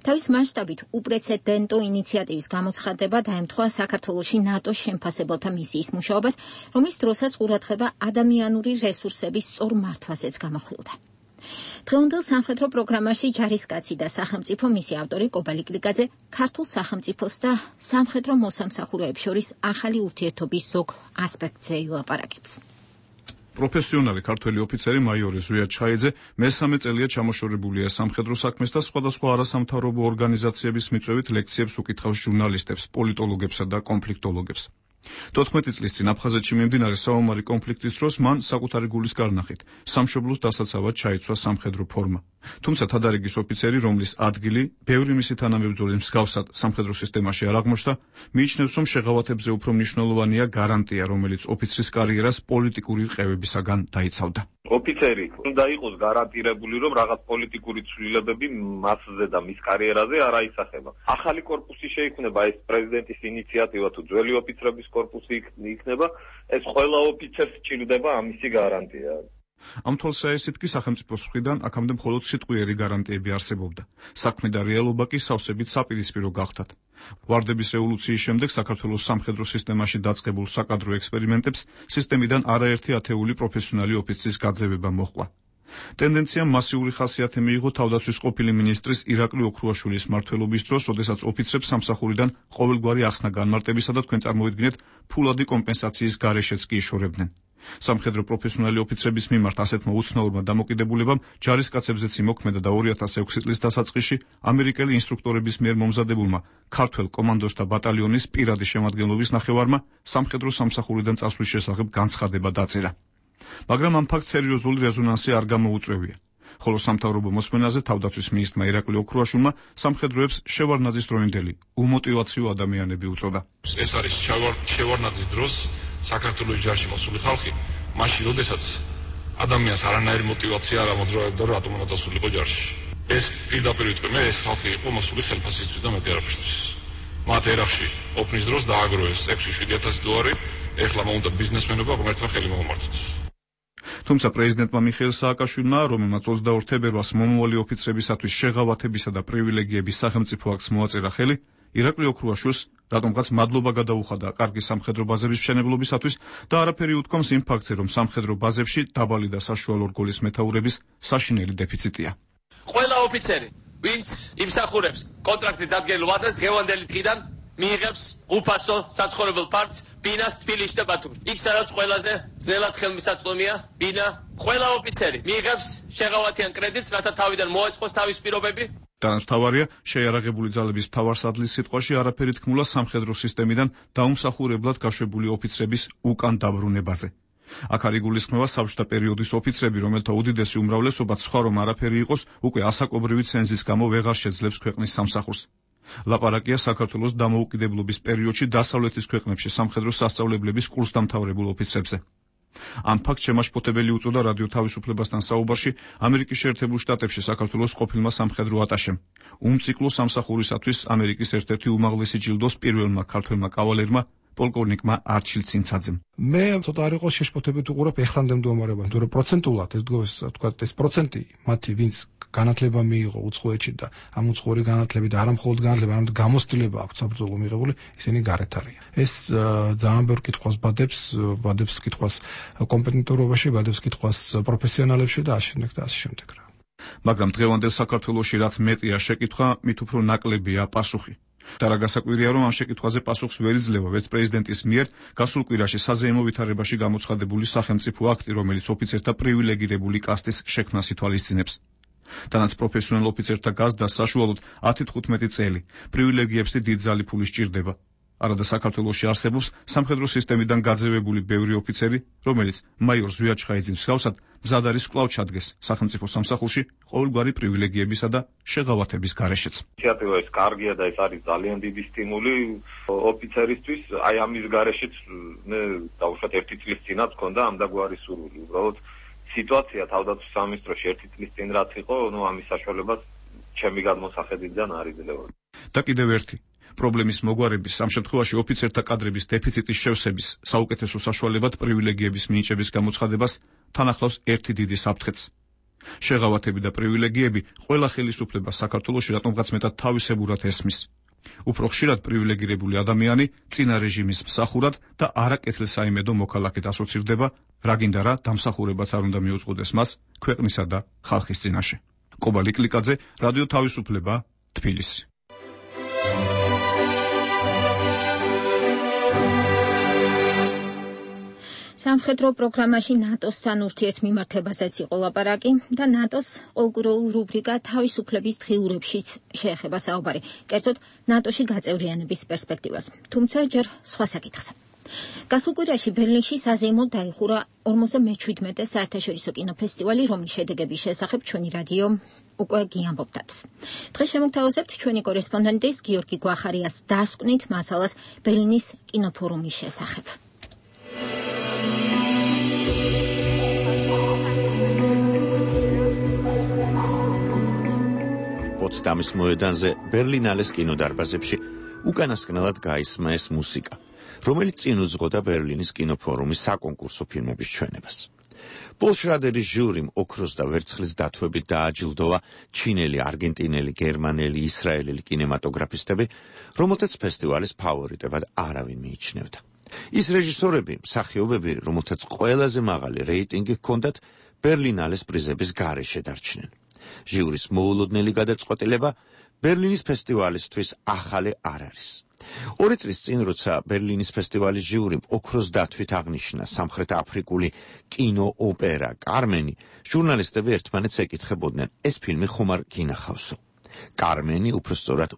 თავის მასშტაბით უპრეცედენტო ინიციატივის გამოცხადება დაემთხვა საქართველოში ნატოს შემფასებელთა მისიის მუშაობას, რომლის დროსაც ყურადღება ადამიანური რესურსების სწორ მართვაზეც გამახვილდა. დღევანდელ სამხედრო პროგრამაში ჯარისკაცი და სახელმწიფო მისი ავტორი კობა ლიკლიკაძე ქართულ სახელმწიფოს და სამხედრო მოსამსახურეებს შორის ახალი ურთიერთობის ზოგ ასპექტზე ილაპარაკებს. პროფესიონალი ქართველი ოფიცერი მაიორი ზვია ჩხაიძე მესამე წელია ჩამოშორებულია სამხედრო საქმეს და სხვადასხვა არასამთავრობო ორგანიზაციების მიწვევით ლექციებს უკითხავს ჟურნალისტებს, პოლიტოლოგებსა და კონფლიქტოლოგებს. 14 წლის წინ აფხაზეთში მიმდინარე საომარი კონფლიქტის დროს მან საკუთარი გულის გარნახით სამშობლოს დასაცავად ჩაიცვა სამხედრო ფორმა. თუმცა თადარიგის ოფიცერი, რომლის ადგილი ბევრი მისი თანამებრძოლის მსგავსად სამხედრო სისტემაში არ აღმოჩნდა, მიიჩნევს, რომ შეღავათებზე უფრო მნიშვნელოვანია გარანტია, რომელიც ოფიცრის კარიერას პოლიტიკური ყევებისაგან დაიცავდა. ოფიცერი უნდა იყოს გარანტირებული, რომ რაღაც პოლიტიკური ცვლილებები მასზე და მის კარიერაზე არ აისახება. ახალი კორპუსი შეიქმნება, ეს პრეზიდენტის ინიციატივა თუ ძველი ოფიცრების კორპუსი იქნება, ეს ყველა ოფიცერს სჭირდება ამისი გარანტია. ამ თვალსაჩინოდ კი სახელმწიფოს მხრიდან აქამდე მხოლოდ სიტყვიერი გარანტიები არსებობდა. საქმე და რეალობა კი სავსებით საპირისპირო გახდათ. ვარდების ევოლუციის შემდეგ საქართველოს სამხედრო სისტემაში დაწყებულ საკადრო ექსპერიმენტებს სისტემიდან არაერთი ათეული პროფესიონალი ოფიცრის გაძევება მოჰყვა. ტენდენციამ მასიური ხასიათი მიიღო თავდაცვის ყოფილი მინისტრის ირაკლი ოქრუაშვილის მმართველობის დროს, როდესაც ოფიცრებს სამსახურიდან ყოველგვარი ახსნა განმარტებისა და თქვენ წარმოიდგინეთ ფულადი კომპენსაციის გარეშეც კი იშორებდნენ. სამხედრო პროფესიონალი ოფიცრების მიმართ ასეთმა უცნაურმა დამოკიდებულებამ ჯარისკაცებზეც იმოქმედა და 2006 წლის დასაწყისში ამერიკელი ინსტრუქტორების მიერ მომზადებულმა ქართველ კომანდოსთა ბატალიონის პირადი შემადგენლობის ნახევარმა სამხედრო სამსახურიდან წასვლის შესახებ განცხადება დაწერა. მაგრამ ამ ფაქტს სერიოზული რეზონანსი არ გამოუწვევია. ხოლო სამთავრობო მოსმენაზე თავდაცვის მინისტრმა ირაკლი ოქრუაშვილმა სამხედროებს შევარნაძისდროინდელი, უმოტივაციო ადამიანები უწოდა. ეს არის შევარნაძის დროს საქართველოს ჯარში მოსული ხალხი, მაშინ როდესაც ადამიანს არანაირი მოტივაცია არ ამოძრავებდა, რომ რატომ უნდა წასულიყო ჯარში. ეს პირდაპირ ვიტყვი, მე ეს ხალხი იყო მოსული ხელფასისთვის და მეტი არაფერთვის. მათ ერახში ოფნის დროს დააგროვეს 6-7 000 დოლარი, ეხლა უნდა ბიზნესმენობა ღმერთმა ხელი მოუმართოს. თუმცა პრეზიდენტმა მიხეილ სააკაშვილმა, რომელმაც 22 თებერვალს მომავალი ოფიცრებისათვის შეღავათებისა და პრივილეგიების სახელმწიფო აქტს მოაწერა ხელი, ირაკლი ოქრუაშვილს რატომღაც მადლობა გადაუხადა კარგი სამხედრო ბაზების მშენებლობისათვის და არაფერი უთქვამს იმ ფაქტზე, რომ სამხედრო ბაზებში დაბალი და საშუალო რგოლის მეთაურების საშინელი დეფიციტია. ყველა ოფიცერი, ვინც იმსახურებს კონტრაქტით დადგენილ ვადას დღევანდელი დღიდან მიიღებს უფასო საცხოვრებელ ფართს ბინას თბილისში და ბათუმში. იქ სადაც ყველაზე ძნელად ხელმისაწვდომია ბინა, ყველა ოფიცერი მიიღებს შეღავათიან კრედიტს, რათა თავიდან მოეწყოს თავის პირობები. Თანამთავარია შეიარაღებული ძალების მთავარსარდლის სიტყვაში არაფერი თქმულა სამხედრო სისტემიდან დაუმსახურებლად გაშვებული ოფიცრების უკან დაბრუნებაზე. აქ არ იგულისხმება საბჭოთა პერიოდის ოფიცრები, რომელთა უდიდესი უმრავლესობა სხვა რომ არაფერი იყოს, უკვე ასაკობრივი ცენზის გამო ვეღარ შეძლებს ქვეყნის სამსახურს. ლაპარაკია საქართველოს დამოუკიდებლობის პერიოდში დასავლეთის ქვეყნებში სამხედრო სასწავლებლების კურსდამთავრებულ ოფიცრებზე. ამ ფაქტს შემაშფოთებელი უწოდა რადიო თავისუფლებასთან საუბარში ამერიკის შეერთებულ შტატებში საქართველოს ყოფილმა სამხედრო ატაშემ. უმციკლო სამსახურისათვის ამერიკის ერთ-ერთი უმაღლესი ჯილდოს პირველმა ქართველმა კავალერმა პოლკოვნიკმა არჩილ ცინცაძემ. მე ცოტა არ იყო შეშფოთებით უყურებ ეხლანდელ მდგომარეობას, თუმცა პროცენტულად ეს პროცენტი მათი ვინც განათლება მიიღო უცხოეთში და ამ უცხოური განათლებით არა მხოლოდ განათლება, არამედ გამოცდილება აქვს საბრძოლო მიღებული, ისინი გარეთ არიან. ეს ძალიან ბევრ კითხვას ბადებს კითხვას კომპეტენტურობაში, ბადებს კითხვას პროფესიონალებში და ასე შემდეგ. მაგრამ დღევანდელ საქართველოში რაც მეტია შეკითხვა, მით უფრო ნაკლებია პასუხი. და რა გასაკვირია, რომ ამ შეკითხვაზე პასუხს ვერ იძლევა ვერც პრეზიდენტის მიერ გასულ კვირაში საზეიმო ვითარებაში გამოცხადებული სახელმწიფო აქტი, რომელიც ოფიცერთა პრივილეგირებული კასტის შექმნას ითვალისწინებს. თანაც პროფესიონალ ოფიცერთა გაზრდა საშუალოდ 10-15 წელი პრივილეგიებს დიდ ძალი ფული სჭირდება. არადა საქართველოში არსებობს სამხედრო სისტემიდან გაძევებული ბევრი ოფიცერი, რომელიც მაიორ ზვიად ჩხაიძის მსგავსად მზად არის კვლავ ჩადგეს სახელმწიფო სამსახურში ყოველგვარი პრივილეგიებისა და შეღავათების გარეშეც. ინიციატივა ეს კარგია და ეს არის ძალიან დიდი სტიმული ოფიცერისთვის. აი ამის გარეშეც მე დავუშვათ 1 წლის წინათ მქონდა ამდაგვარი სურვილი. უბრალოდ სიტუაცია თავდაცვის სამინისტროში 1 წლის წინ რაც იყო, ამის საშუალებას ჩემი გადმოსახედიდან არ იძლევა. და კიდევ ერთი პრობლემის მოგვარების, ამ შემთხვევაში ოფიცერთა კადრების დეფიციტის შევსების, საუკეთესო საშუალებად პრივილეგიების მინიჭების გამოცხადებას თან ახლავს ერთი დიდი საფრთხეც. შეღავათები და პრივილეგიები ყველა ხელისუფლებას საქართველოში რატომღაც მეტად თავისებურად ესმის. უფრო ხშირად პრივილეგირებული ადამიანი წინა რეჟიმის მსახურად და არაკეთილსაიმედო მოქალაქედ ასოცირდება, რა გინდა რა დამსახურებაც არ უნდა მიუძღოდეს მას ქვეყნისა და ხალხის წინაშე. კობალი კლიკაძე, რადიო თავისუფლება, თბილისი. სამხედრო პროგრამაში ნატოსთან ურთიერთმიმართებაზეც იყო ლაპარაკი და ნატოს ყოველკვირეულ რუბრიკა თავისუფლების დღიურებშიც შეეხება საუბარი, კერძოდ ნატოში გაწევრიანების პერსპექტივას. თუმცა ჯერ სხვა საკითხზე. გასულ კვირაში ბერლინში საზეიმოდ დაიხურა 47-ე საერთაშორისო კინოფესტივალი, რომლის შედეგების შესახებ ჩვენი რადიო უკვე გიამბობდათ. დღეს შემოგთავაზებთ ჩვენი კორესპონდენტის გიორგი გვახარიას დასკვნით მასალას ბერლინის კინოფორუმის შესახებ. პოტსდამის მოედანზე ბერლინალეს კინოდარბაზებში უკანასკნელად გაისმა ეს მუსიკა, რომელიც წინ უძღოდა ბერლინის კინოფორუმის საკონკურსო ფილმების ჩვენებას. პოლ შრადერის ჟიურიმ ოქროს და ვერცხლის დათვებით დააჯილდოვა ჩინელი, არგენტინელი, გერმანელი, ისრაელელი კინემატოგრაფისტები, რომელთაც ფესტივალის ფავორიტებად არავინ მიიჩნევდა. ის რეჟისორები, მსახიობები, რომელთაც ყველაზე მაღალი რეიტინგი ჰქონდათ, ბერლინალეს პრიზების გარეშე დარჩნენ. ჟიურის მოულოდნელი გადაწყვეტილება ბერლინის ფესტივალისთვის ახალი არ არის. 2 წლის წინ, როცა ბერლინის ფესტივალის ჟიურიმ ოქროს დათვით აღნიშნა სამხრეთ აფრიკული კინოოპერა კარმენი, ჟურნალისტები ერთმანეთს ეკითხებოდნენ, ეს ფილმი ხომ არ გინახავსო. კარმენი, უფრო სწორად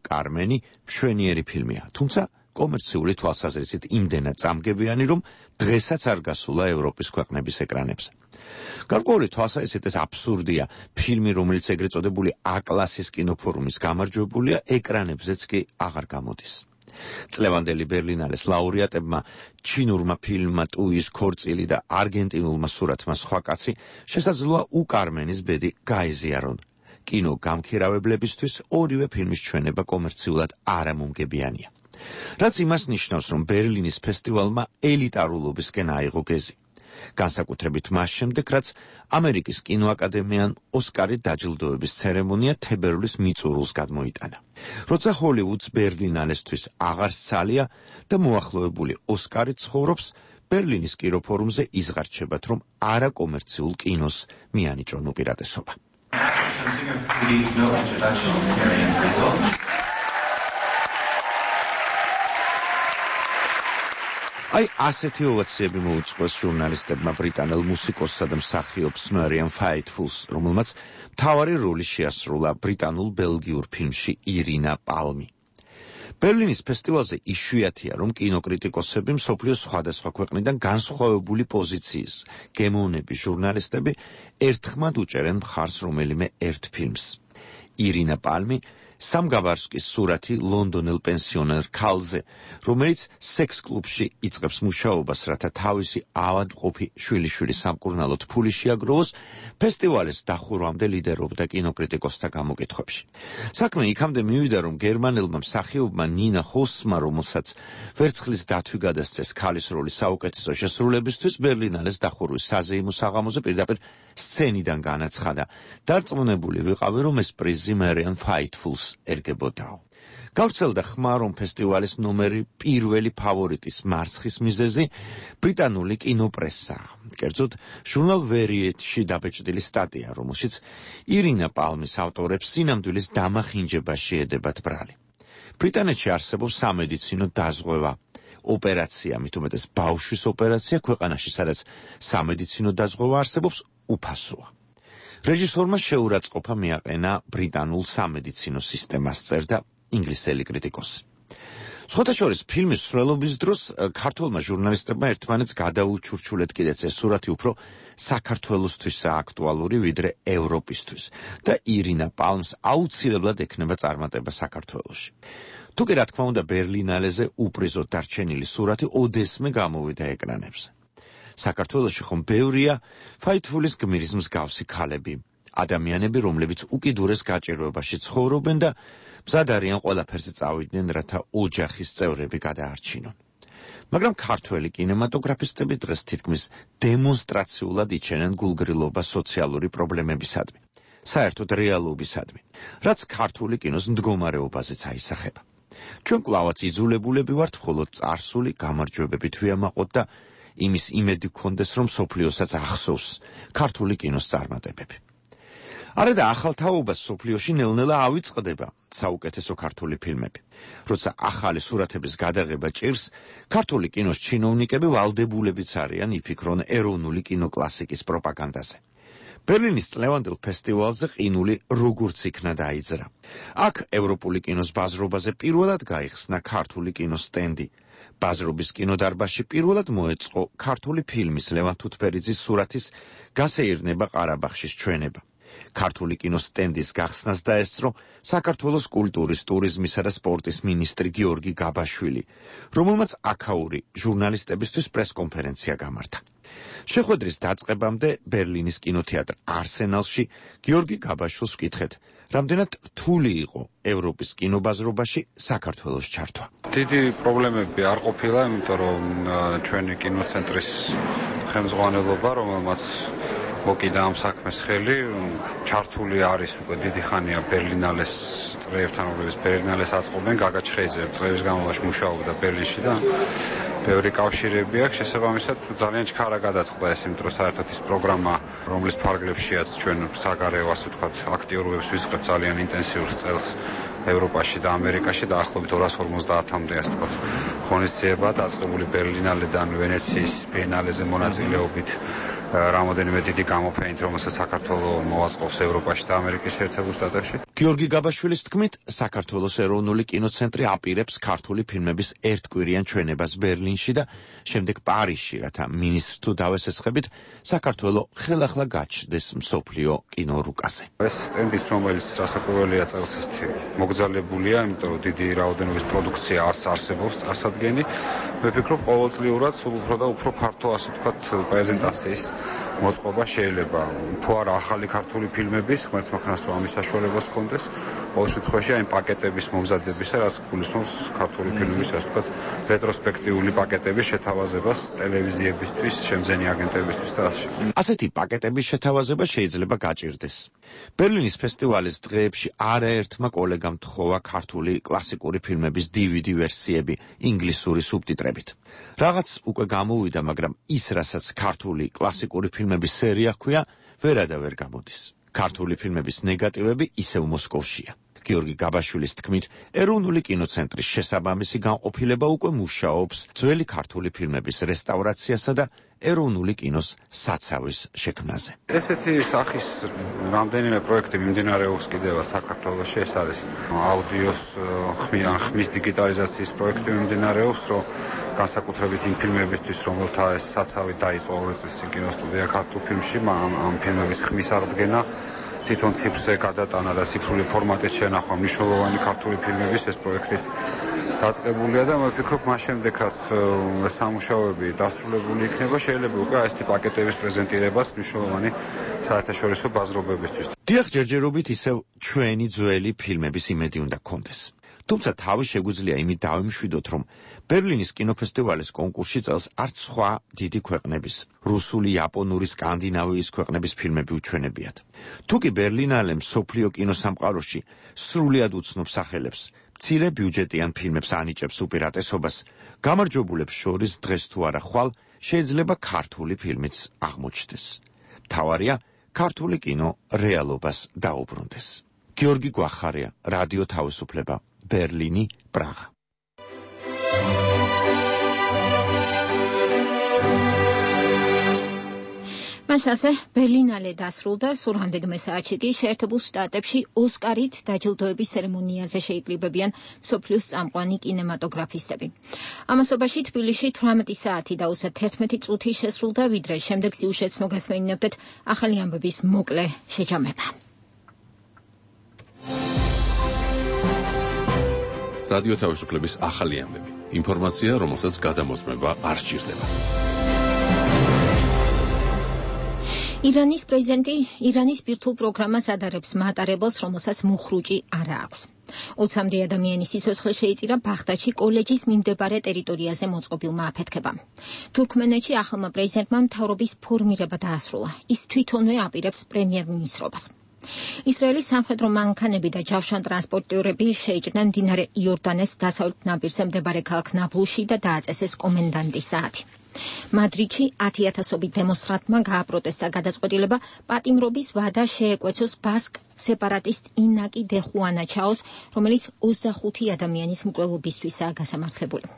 კარმენი, მშვენიერი ფილმია, თუმცა კომერციული თვალსაზრისით იმდენად წამგებიანი, რომ დღესაც არ გასულა ევროპის ქვეყნების ეკრანებზე. გარკვეული თვალსაზრისით ეს აბსურდია, ფილმი, რომელიც ეგრეთ წოდებული A-კლასის კინოფორუმის გამარჯვებულია, ეკრანებზეც კი აღარ გამოდის. წლევანდელი ბერლინალეს ლაურეატებმა, ჩინურმა ფილმმა ტუის ქორწილი და არგენტინულმა სურათმა სხვა კაცი, შესაძლოა კარმენის ბედი გაეზიარონ. კინო გამქირავებლებისთვის ორივე ფილმის ჩვენება კომერციულად არამომგებიანია. რაც იმას ნიშნავს, რომ ბერლინის ფესტივალმა ელიტარულობისკენ აიღო გეზი. განსაკუთრებით მას შემდეგ, რაც ამერიკის კინოაკადემიამ ოსკარი დაჯილდოების ცერემონია თებერვლის მიწურულს გადმოიტანა. როცა ჰოლივუდს ბერლინალესთვის აღარ სცალია და მოახლოებული ოსკარი ცხოვრობს, ბერლინის კინოფორუმზე იზღარჩებათ, რომ არაკომერციულ კინოს მიანიჭონ უპირატესობა. აი ასეთი ოვაციები მოუწყვეს ჟურნალისტებმა ბრიტანელ მუსიკოსსა და მსახიობს მარიამ ფაითფულს, რომელმაც მთავარი როლი შეასრულა ბრიტანულ-ბელგიურ ფილმში ირინა პალმი. ბერლინის ფესტივალზე იშვიათია, რომ კინოკრიტიკოსები მსოფლიოს სხვადასხვა ქვეყნიდან განსხვავებული პოზიციის გემოვნები ჟურნალისტები ერთხმად უჭერენ მხარს რომელიმე ერთ ფილმს. ირინა პალმი სამგაბარსკის სურათი ლონდონელ პენსიონერ ქალზე, რომელიც სექს კლუბში იწყებს მუშაობას, რათა თავისი ავადმყოფი შვილიშვილი სამკურნალოდ ფული შეაგროვოს, ფესტივალის დახურვამდე ლიდერობდა კინოკრიტიკოსთა გამოკითხვებში. საქმე იქამდე მივიდა, რომ გერმანელმა მსახიობმა ნინა ჰოსმა, რომელსაც ვერცხლის დათვი გადასცეს ქალის როლის საუკეთესო შესრულებისთვის, ბერლინალეს დახურვის საზეიმო საღამოზე პირდაპირ სცენიდან განაცხადა. დარწმუნებული ვიყავი, რომ ეს პრიზი მარიამ ფაითფულს ერგებოდაო. გავრცელდა ხმა, რომ ფესტივალის ნომერი პირველი ფავორიტის მარცხის მიზეზი ბრიტანული კინოპრესაა. კერძოდ, ჟურნალ ვერიეტში დაბეჭდილი სტატია, რომელშიც ირინა პალმის ავტორებს სინამდვილის დამახინჯება შეედებათ ბრალი. ბრიტანეთში არსებობს სამედიცინო დაზღვევა, ოპერაცია, მით უმეტეს ბავშვის ოპერაცია ქვეყანაში, სადაც სამედიცინო დაზღვევა არსებობს, უფასოა. რეჟისორმა შეურაცხყოფა მიაყენა ბრიტანულ სამედიცინო სისტემას, წერდა ინგლისელი კრიტიკოსი. სხვათა შორის ფილმის მსვლელობის დროს ქართველმა ჟურნალისტებმა ერთმანეთს გადაუჩურჩულეთ კიდეც ეს სურათი უფრო საქართველოსთვისაა აქტუალური ვიდრე ევროპისთვის და ირინა პალმს აუცილებლად ექნება წარმატება საქართველოში. თუკი რა თქმა უნდა ბერლინალეზე უპრიზოდ დარჩენილი სურათი ოდესმე გამოვიდა ეკრანებზე. საქართველოში ხომ ბევრია ფაითფულის გმირის მსგავსი ქალები, ადამიანები, რომლებიც უკიდურეს გაჭირვებაში ცხოვრობენ და მზად არიან ყველაფერზე წავიდნენ, რათა ოჯახის წევრები გადაარჩინონ. მაგრამ ქართველი კინემატოგრაფისტები დღეს თითქმის დემონსტრაციულად იჩენენ გულგრილობა სოციალური პრობლემებისადმი, საერთოდ რეალობისადმი, რაც ქართული კინოს მდგომარეობაზეც აისახება. ჩვენ კვლავაც იძულებულები ვართ მხოლოდ წარსული გამარჯვებებით ვიამაყოთ და იმის იმედი გქონდეს, რომ სოფლიოსაც ახსოვს ქართული კინოს წარმატებები. არა და ახალ თაობას სოფლიოში ნელ-ნელა ავიწყდება საუკეთესო ქართული ფილმები. როცა ახალი სურათების გადაღება ჭირს, ქართული კინოს ჩინოვნიკები ვალდებულებიც არიან იფიქრონ ეროვნული კინოკლასიკის პროპაგანდაზე. ბერლინის წლევანდელ ფესტივალზე ყინული როგორც იქნა დაიძრა. აქ ევროპული კინოს ბაზრობაზე პირველად გაიხსნა ქართული კინოს სტენდი. ბაზრობის კინოდარბაზში პირველად მოეწყო ქართული ფილმის ლევან თუთბერიძის სურათის გასეირნება ყარაბაღშის ჩვენება. ქართული კინოს სტენდის გახსნას დაესწრო საქართველოს კულტურის, ტურიზმისა და სპორტის მინისტრი გიორგი გაბაშვილი, რომელმაც აქაური ჟურნალისტებისთვის პრესკონფერენცია გამართა. შეხვედრის დაწყებამდე ბერლინის კინოთეატრ არსენალში გიორგი გაბაშვილს ვკითხეთ, რამდენად რთული იყო ევროპის კინობაზრობაში საქართველოს ჩართვა. დიდი პრობლემები არ ყოფილა, იმიტომ რომ ჩვენი კინოცენტრის ხელმძღვანელობა, რომელმაც მოკიდა ამ საქმეს ხელი, ჩართული არის უკვე დიდი ხანია ბერლინალეს წრეებთან, რომლებიც ბერლინალეს აწყობენ, გაგა ჩხეიძე წლების განმავლობაში მუშაობდა ბერლინში და ბევრი კავშირები აქვს, შესაბამისად ძალიან ჩქარა გადაწყდა ეს, იმიტომ რომ საერთოდ ის პროგრამა, რომლის ფარგლებშიაც ჩვენ საგარეო, ასე ვთქვათ, აქტიურობებს ვიწყებთ ძალიან ინტენსიურ წელს ევროპაში და ამერიკაში, დაახლოებით 250-მდე, ასე ვთქვათ, ღონისძიება დაწყებული ბერლინალედან ვენეციის ბიენალეზე მონაწილეობით, რამოდენიმე დიდი გამოფენით, რომელსაც საქართველოს მოაწყობს ევროპაში და ამერიკის შეერთებულ შტატებში. გიორგი გაბაშვილის თქმით, საქართველოს ეროვნული კინოცენტრი აპირებს ქართული ფილმების ერთკვირიან ჩვენებას ბერლინში და შემდეგ პარიზში, რათა მინისტრს თუ დავესესხებით, საქართველოს ხელახლა გაჩნდეს მსოფლიო კინორუკაზე. ეს სტენდიც, რომელიც რასაკვირველია წელს მოგდაშვილი მოკრძალებულია, იმიტომ რომ დიდი რაოდენობის პროდუქცია არსებობს წარსადგენი. მე ვფიქრობ, ყოველწლიურად სულ უფრო და უფრო ფართო, ასე ვთქვათ, პრეზენტაციის მოწყობა შეიძლება. თუ არა ახალი ქართული ფილმების, ღმერთმა ქნას რომ ამის საშუალებას ჰქონდეს, ყოველ შემთხვევაში აი პაკეტების მომზადებისა, რაც გულისხმობს ქართული ფილმების, ასე ვთქვათ, რეტროსპექტიული პაკეტების შეთავაზებას ტელევიზიებისთვის, შემძენი აგენტებისთვის და ასე. ასეთი პაკეტების შეთავაზება შეიძლება გაჭირდეს. ბერლინის ფესტივალის დღეებში არაერთმა კოლეგამ თხოვა ქართული კლასიკური ფილმების DVD ვერსიები ინგლისური სუბტიტრებით. რაღაც უკვე გამოვიდა, მაგრამ ის, რასაც ქართული კლასიკური ფილმების სერია ჰქვია, ვერადავერ გამოდის. ქართული ფილმების ნეგატივები ისევ მოსკოვშია. გიორგი გაბაშვილის თქმით, ეროვნული კინოცენტრის შესაბამისი განყოფილება უკვე მუშაობს ძველი ქართული ფილმების რესტავრაციასა და ეროვნული კინოს საცავის შექმნაზე. ესეთი სახის რამდენიმე პროექტი მიმდინარეობს კიდევაც საქართველოში. ეს არის აუდიოს ხმის დიგიტალიზაციის პროექტი მიმდინარეობს, რომ განსაკუთრებით იმ ფილმებისთვის, რომელთა ეს საცავი დაიწყო 2 წლის წინ კინოსტუდია ქართულ ფილმში, ამ ფილმების ხმის აღდგენა თვითონ ციფრზე გადატანა და ციფრული ფორმატის შენახვა მნიშვნელოვანი ქართული ფილმების ეს პროექტიც დაწყებულია და მე ვფიქრობ, მას შემდეგ რაც სამუშაოები დასრულებული იქნება, შეიძლება უკვე ასეთი პაკეტების პრეზენტირებას მნიშვნელოვანი საერთაშორისო ბაზრობებისთვის. დიახ, ჯერჯერობით ისევ ჩვენი ძველი ფილმების იმედი უნდა გქონდეს. თუმცა თავი შეგვიძლია იმით დავიმშვიდოთ, რომ ბერლინის კინოფესტივალის კონკურსში წელს არც სხვა დიდი ქვეყნების, რუსული, იაპონური, სკანდინავიის ქვეყნების ფილმები უჩვენებიათ. თუკი ბერლინალე მსოფლიო კინოსამყაროში სრულიად უცნობ სახელებს, მცირე ბიუჯეტიან ფილმებს ანიჭებს უპირატესობას, გამარჯვებულებს შორის დღეს თუ არა ხვალ შეიძლება ქართული ფილმიც აღმოჩნდეს. მთავარია ქართული კინო რეალობას დაუბრუნდეს. გიორგი გვახარია, რადიო თავისუფლება, ბერლინი, პრაღა. მასაზე ბერლინალე დასრულდა, სულ რამდენიმე საათში კი შეერთებულ შტატებში ოსკარით დაჯილდოების ცერემონიაზე შეიკრიბებიან მსოფლიოს წამყვანი კინემატოგრაფისტები. ამასობაში თბილისში 18 საათი და 31 წუთი შესრულდა, ვიდრე შემდეგ სიუჟეტს მოგესმენინებდეთ ახალი ამბების მოკლე შეჯამება. რადიო თავისუფლების ახალი ამბები. ინფორმაცია, რომელსაც გადამოწმება არ სჭირდება. ირანის პრეზიდენტი ირანის ბირთვულ პროგრამას ადარებს მატარებელს, რომელსაც მუხრუჭი არ აქვს. 20-მდე ადამიანის სიცოცხლე შეიწირა ბაღდადში კოლეჯის მიმდებარე ტერიტორიაზე მოწყობილმა აფეთქებამ. თურქმენეთში ახალმა პრეზიდენტმა მთავრობის ფორმირება დაასრულა. ის თვითონვე აპირებს პრემიერ-მინისტრობას. ისრაელის სამხედრო მანქანები და ჯავშანტრანსპორტიორები შეიჭრნენ მდინარე იორდანეს დასავლეთ ნაპირზე მდებარე ქალაქ ნაბლუსში და დააწესეს კომენდანტის საათი. მადრიდში 10,000-ობით დემონსტრანტმა გააპროტესტა გადაწყვეტილება პატიმრობის ვადა შეეკვეცოს ბასკ სეპარატისტ ინაკი დე ხუანა ჩაოს, რომელიც 25 ადამიანის მკვლელობისთვისაა გასამართლებული.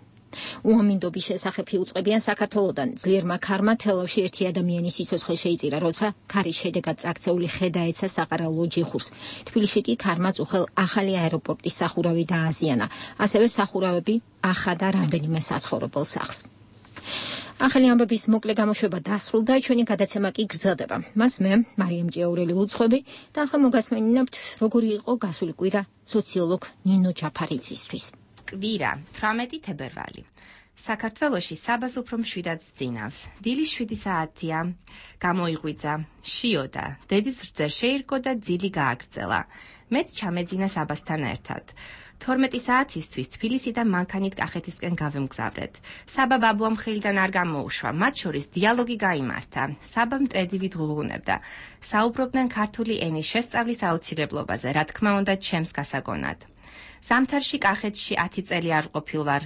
უამინდობის შესახებ იუწყებიან საქართველოდან. ძლიერმა ქარმა თელავში 1 ადამიანის სიცოცხლე შეიწირა, როცა ქარის შედეგად წაქცეული ხე დაეცა საყარაულო ჯიხურს. თბილისში კი ქარმა წუხელ ახალი აეროპორტის სახურავი დააზიანა. ასევე სახურავები ახადა რამდენიმე საცხოვრებელ სახლს. ახალი ამბების მოკლე გამოშვება დასრულდა, ჩვენი გადაცემა კი გრძელდება. მას მე, მარიამ ჭიაურელი უძღვები და ახლა მოგასმენინებთ, როგორი იყო გასული კვირა სოციოლოგ ნინო ჯაფარიძისთვის. კვირა 18 თებერვალი. საქართველოში საბას უფრო მშვიდად ძინავს. დილის 7 საათია, გამოიღვიძა, შიოდა, დედის რძე შეირკო და ძილი გააგრძელა. მეც ჩამეძინა საბასთან ერთად. 12 საათისთვის თბილისიდან მანქანით კახეთისკენ გავემგზავრეთ. საბა ბაბუამ ხელიდან არ გამოუშვა, მათ შორის დიალოგი გაიმართა. საბა მტრედივით ღუღუნებდა. საუბრობდნენ ქართული ენის შესწავლის აუცილებლობაზე, რა თქმა უნდა, ჩემს გასაგონად. ზამთარში კახეთში 10 წელი არ ყოფილვარ.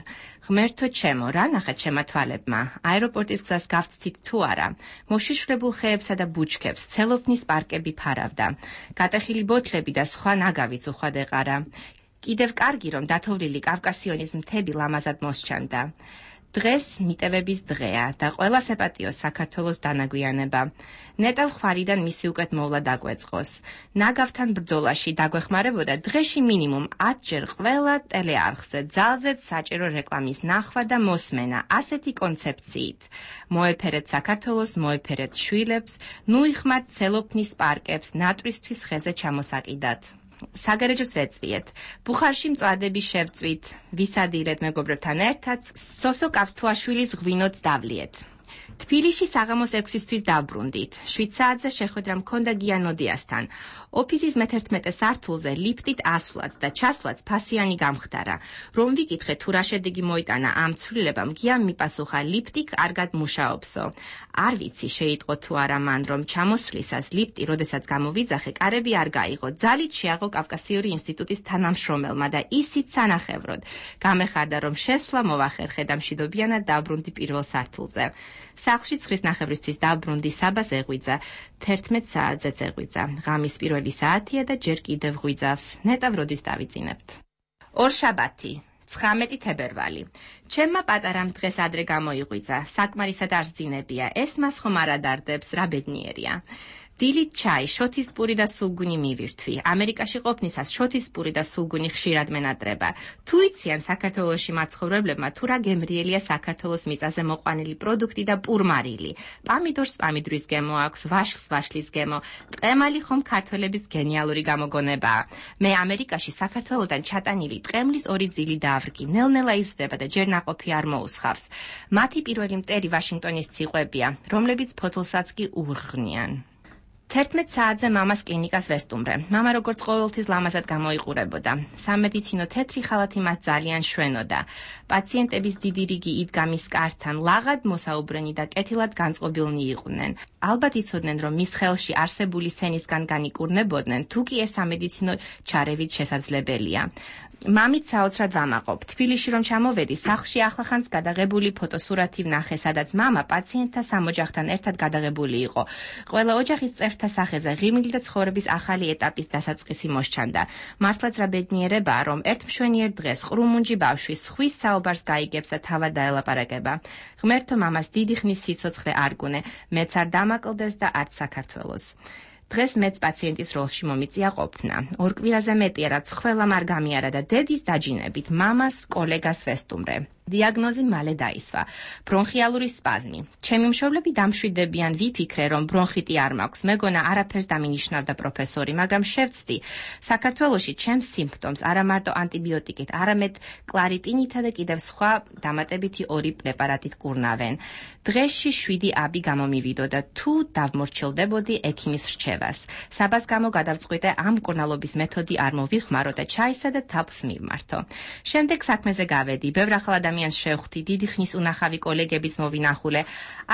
ღმერთო ჩემო, რა ნახეთ ჩემმა თვალებმა? აეროპორტის გზას გავცდით თუ არა? მოშიშვლებულ ხეებსა და ბუჩქებს, ცელოფნის პარკები ფარავდა. გატეხილი ბოთლები და სხვა ნაგავიც უხვად ეყარა. კიდევ კარგი, რომ დათოვლილი კავკასიონის მთები ლამაზად მოსჩანდა. დღეს მიტევების დღეა და ყველა სეპატიოს საქართველოს დანაგვიანება. ნეტავ ხვარიდან მისი უკეთ მოვლა დაგვეწყოს. ნაგავთან ბრძოლაში დაგვეხმარებოდა დღეში მინიმუმ 10 ჯერ ყველა ტელეარხზე, ძალზედ საჭირო რეკლამის ნახვა და მოსმენა, ასეთი კონცეფციით. მოეფერეთ საქართველოს, მოეფერეთ შვილებს, ნუ იხმართ ცელოფნის პარკებს ნატრისთვის ხეზე ჩამოსაკიდად. საგარეჯოს ვეწვიეთ. ბუხარში მწვადები შევწვით, ვისადირეთ მეგობრებთან ერთად, სოსო კავსთუაშვილის ღვინოც დავლიეთ. თბილისში საღამოს 6-ისთვის დავბრუნდით. 7 საათზე შეხვედრა მქონდა გია ნოდიასთან. ოფისის მე-11 სართულზე ლიფტით ასვლაც და ჩასვლაც ფასიანი გამხდარა. რომ ვიკითხე თუ რა შედეგი მოიტანა ამ ცვლილებამ, გიამ მიპასუხა ლიფტი კარგად მუშაობსო. არ ვიცი შეიტყო თუ არა მან რომ ჩამოსვლისას ლიფტი როდესაც გამოვიძახე, კარები არ გაიღო. ძალით შეაღო კავკასიური ინსტიტუტის თანამშრომელმა და ისიც სანახევროდ. გამეხარდა რომ შესვლა მოვახერხე და მშვიდობიანად დავბრუნდი პირველ სართულზე. სახლში 9:30-ისთვის დავბრუნდი, საბას ეღვიძა, 11 საათზეც ეღვიძა. ღამის პირველი საათია და ჯერ კიდევ ღვიძავს. ნეტავ როდის დავიძინებთ. ორშაბათი 19 თებერვალი. ჩემმა პატარამ დღეს ადრე გამოიღვიძა. საკმარისად არ ძინებია. ეს მას ხომ არ ადარდებს, რა ბედნიერია. დილით ჩაი, შოთისპური და სულგუნი მივირთვი. ამერიკაში ყოფნისას შოთისპური და სულგუნი ხშირად მენატრება. თუ იციან საქართველოში მაცხოვრებლებმა თუ რა გემრიელია საქართველოს მიწაზე მოყვანილი პროდუქტი და პურმარილი. პამიდორს პამიდრის გემო აქვს, ვაშლს ვაშლის გემო. ტყემალი ხომ ქართველების გენიალური გამოგონებაა. მე ამერიკაში საქართველოდან ჩატანილი ტყემლის 2 ძილი დავრგი. ნელ-ნელა იზრდება და ჯერ ნაყოფი არ მოუსხავს. მათი პირველი მტერი ვაშინგტონის ციყვებია, რომლებიც ფოთოლსაც კი ურღნიან. 11 საათზე მამას კლინიკას ვესტუმრე. მამა როგორც ყოველთვის ლამაზად გამოიყურებოდა. სამედიცინო თეთრი ხალათი მას ძალიან შვენოდა. პაციენტების დიდი რიგი იდგა მის კართან, ლაღად მოსაუბრენი და კეთილად განწყობილნი იყვნენ. ალბათ იცოდნენ, რომ მის ხელში არსებული სენისგან განიკურნებოდნენ, თუ კი ეს სამედიცინო ჩარევით შესაძლებელია. მამით საოცრად ვამაყობ. თბილისში რომ ჩამოვედი, სახლში ახლახანს გადაღებული ფოტოსურათი ვნახე, სადაც მამა პაციენტთა სამოჯახთან ერთად გადაღებული იყო. ყველა ოჯახის წევრთა სახეზე ღიმილი და ცხოვრების ახალი ეტაპის დასაწყისი მოსჩანდა. მართლაც რა ბედნიერებაა, რომ ერთ მშვენიერ დღეს ყრუმუნჯი ბავშვი სხვის საუბარს გაიგებს და თავად დაელაპარაკება. ღმერთო მამას დიდი ხნის სიცოცხლე არ გუნე, მეც არ დამაკლდეს და არც საქართველოს. დღეს მეც პაციენტის როლში მომიწია ყოფნა. 2 კვირაზე მეტია, რაც ყველამ არ გამიარა და დედის დაჯინებით მამას კოლეგას ვესტუმრე. დიაგნოზი მალე დაისვა. ბრონხიალური სპაზმი. ჩემი მშობლები დამშვიდებიან, ვიფიქრე, რომ ბრონხიტი არ მაქვს. მეგონა არაფერს დამინიშნავდა პროფესორი, მაგრამ შევწდი. საქართველოში ჩემს სიმპტომს არა მარტო ანტიბიოტიკით, არამედ კლარიტინითა და კიდევ სხვა დამატებითი 2 პრეპარატით კურნავენ. დღეში 7 აბი გამომივიდო და თუ დავმორჩილდებოდი ექიმის რჩევას. საბას გამო გადავწყვიტე ამ მკურნალობის მეთოდი არ მოვიხმარო და ჩაისა და თავს მივმართო. შემდეგ საქმეზე გავედი, ბევრ ახალ ადამიანს შევხვდი, დიდი ხნის უნახავი კოლეგებიც მოვინახულე.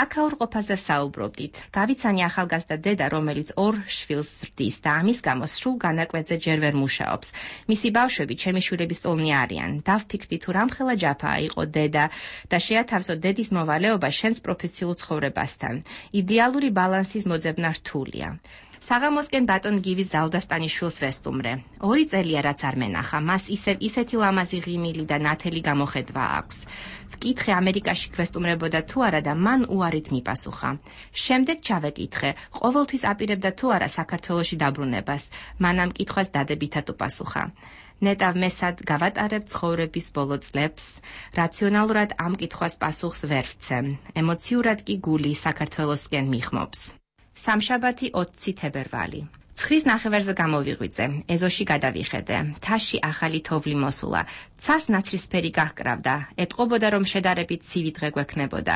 აქაურ ყოფაზე ვსაუბრობდით. გავიცანი ახალგაზრდა დედა, რომელიც 2 შვილს ზრდის და ამის გამო სრულ განაკვეთზე ჯერ ვერ მუშაობს. მისი ბავშვები ჩემი შვილების ტოლნი არიან. დავფიქრდი თუ რამხელა ჯაფაა იყო დედა და შეათავსო დედის მოვალეობა შენს პროფესიულ ცხოვრებასთან. იდეალური ბალანსის მოძებნა რთულია. საღამოსკენ ბატონ გივის ზალდასტანიშვილს ვესტუმრე. 2 წელია რაც არ მენახა, მას ისეთი ლამაზი ღიმილი და ნათელი გამოხედვა აქვს. ვკითხე ამერიკაში გვესტუმრებოდა თუ არა და მან უარით მიპასუხა. შემდეგ ჩავეკითხე, ყოველთვის აპირებდა თუ არა საქართველოში დაბრუნებას. მან ამ კითხვას დადებითად უპასუხა. ნეტავ მესად გავატარებ ცხოვრების ბოლო წლებს, რაციონალურად ამ კითხვას პასუხს ვერ ვცემ. ემოციურად კი გული საქართველოსკენ მიხმობს. სამშაბათი 20 თებერვალი. 9:30-ზე გამოვიღვიძე, ეზოში გადავიხედე. მთაში ახალი თოვლი მოსულა. ცას ნაცრისფერი გაჰკრავდა. ეტყობოდა რომ შედარებით ცივი დღე გვექნებოდა.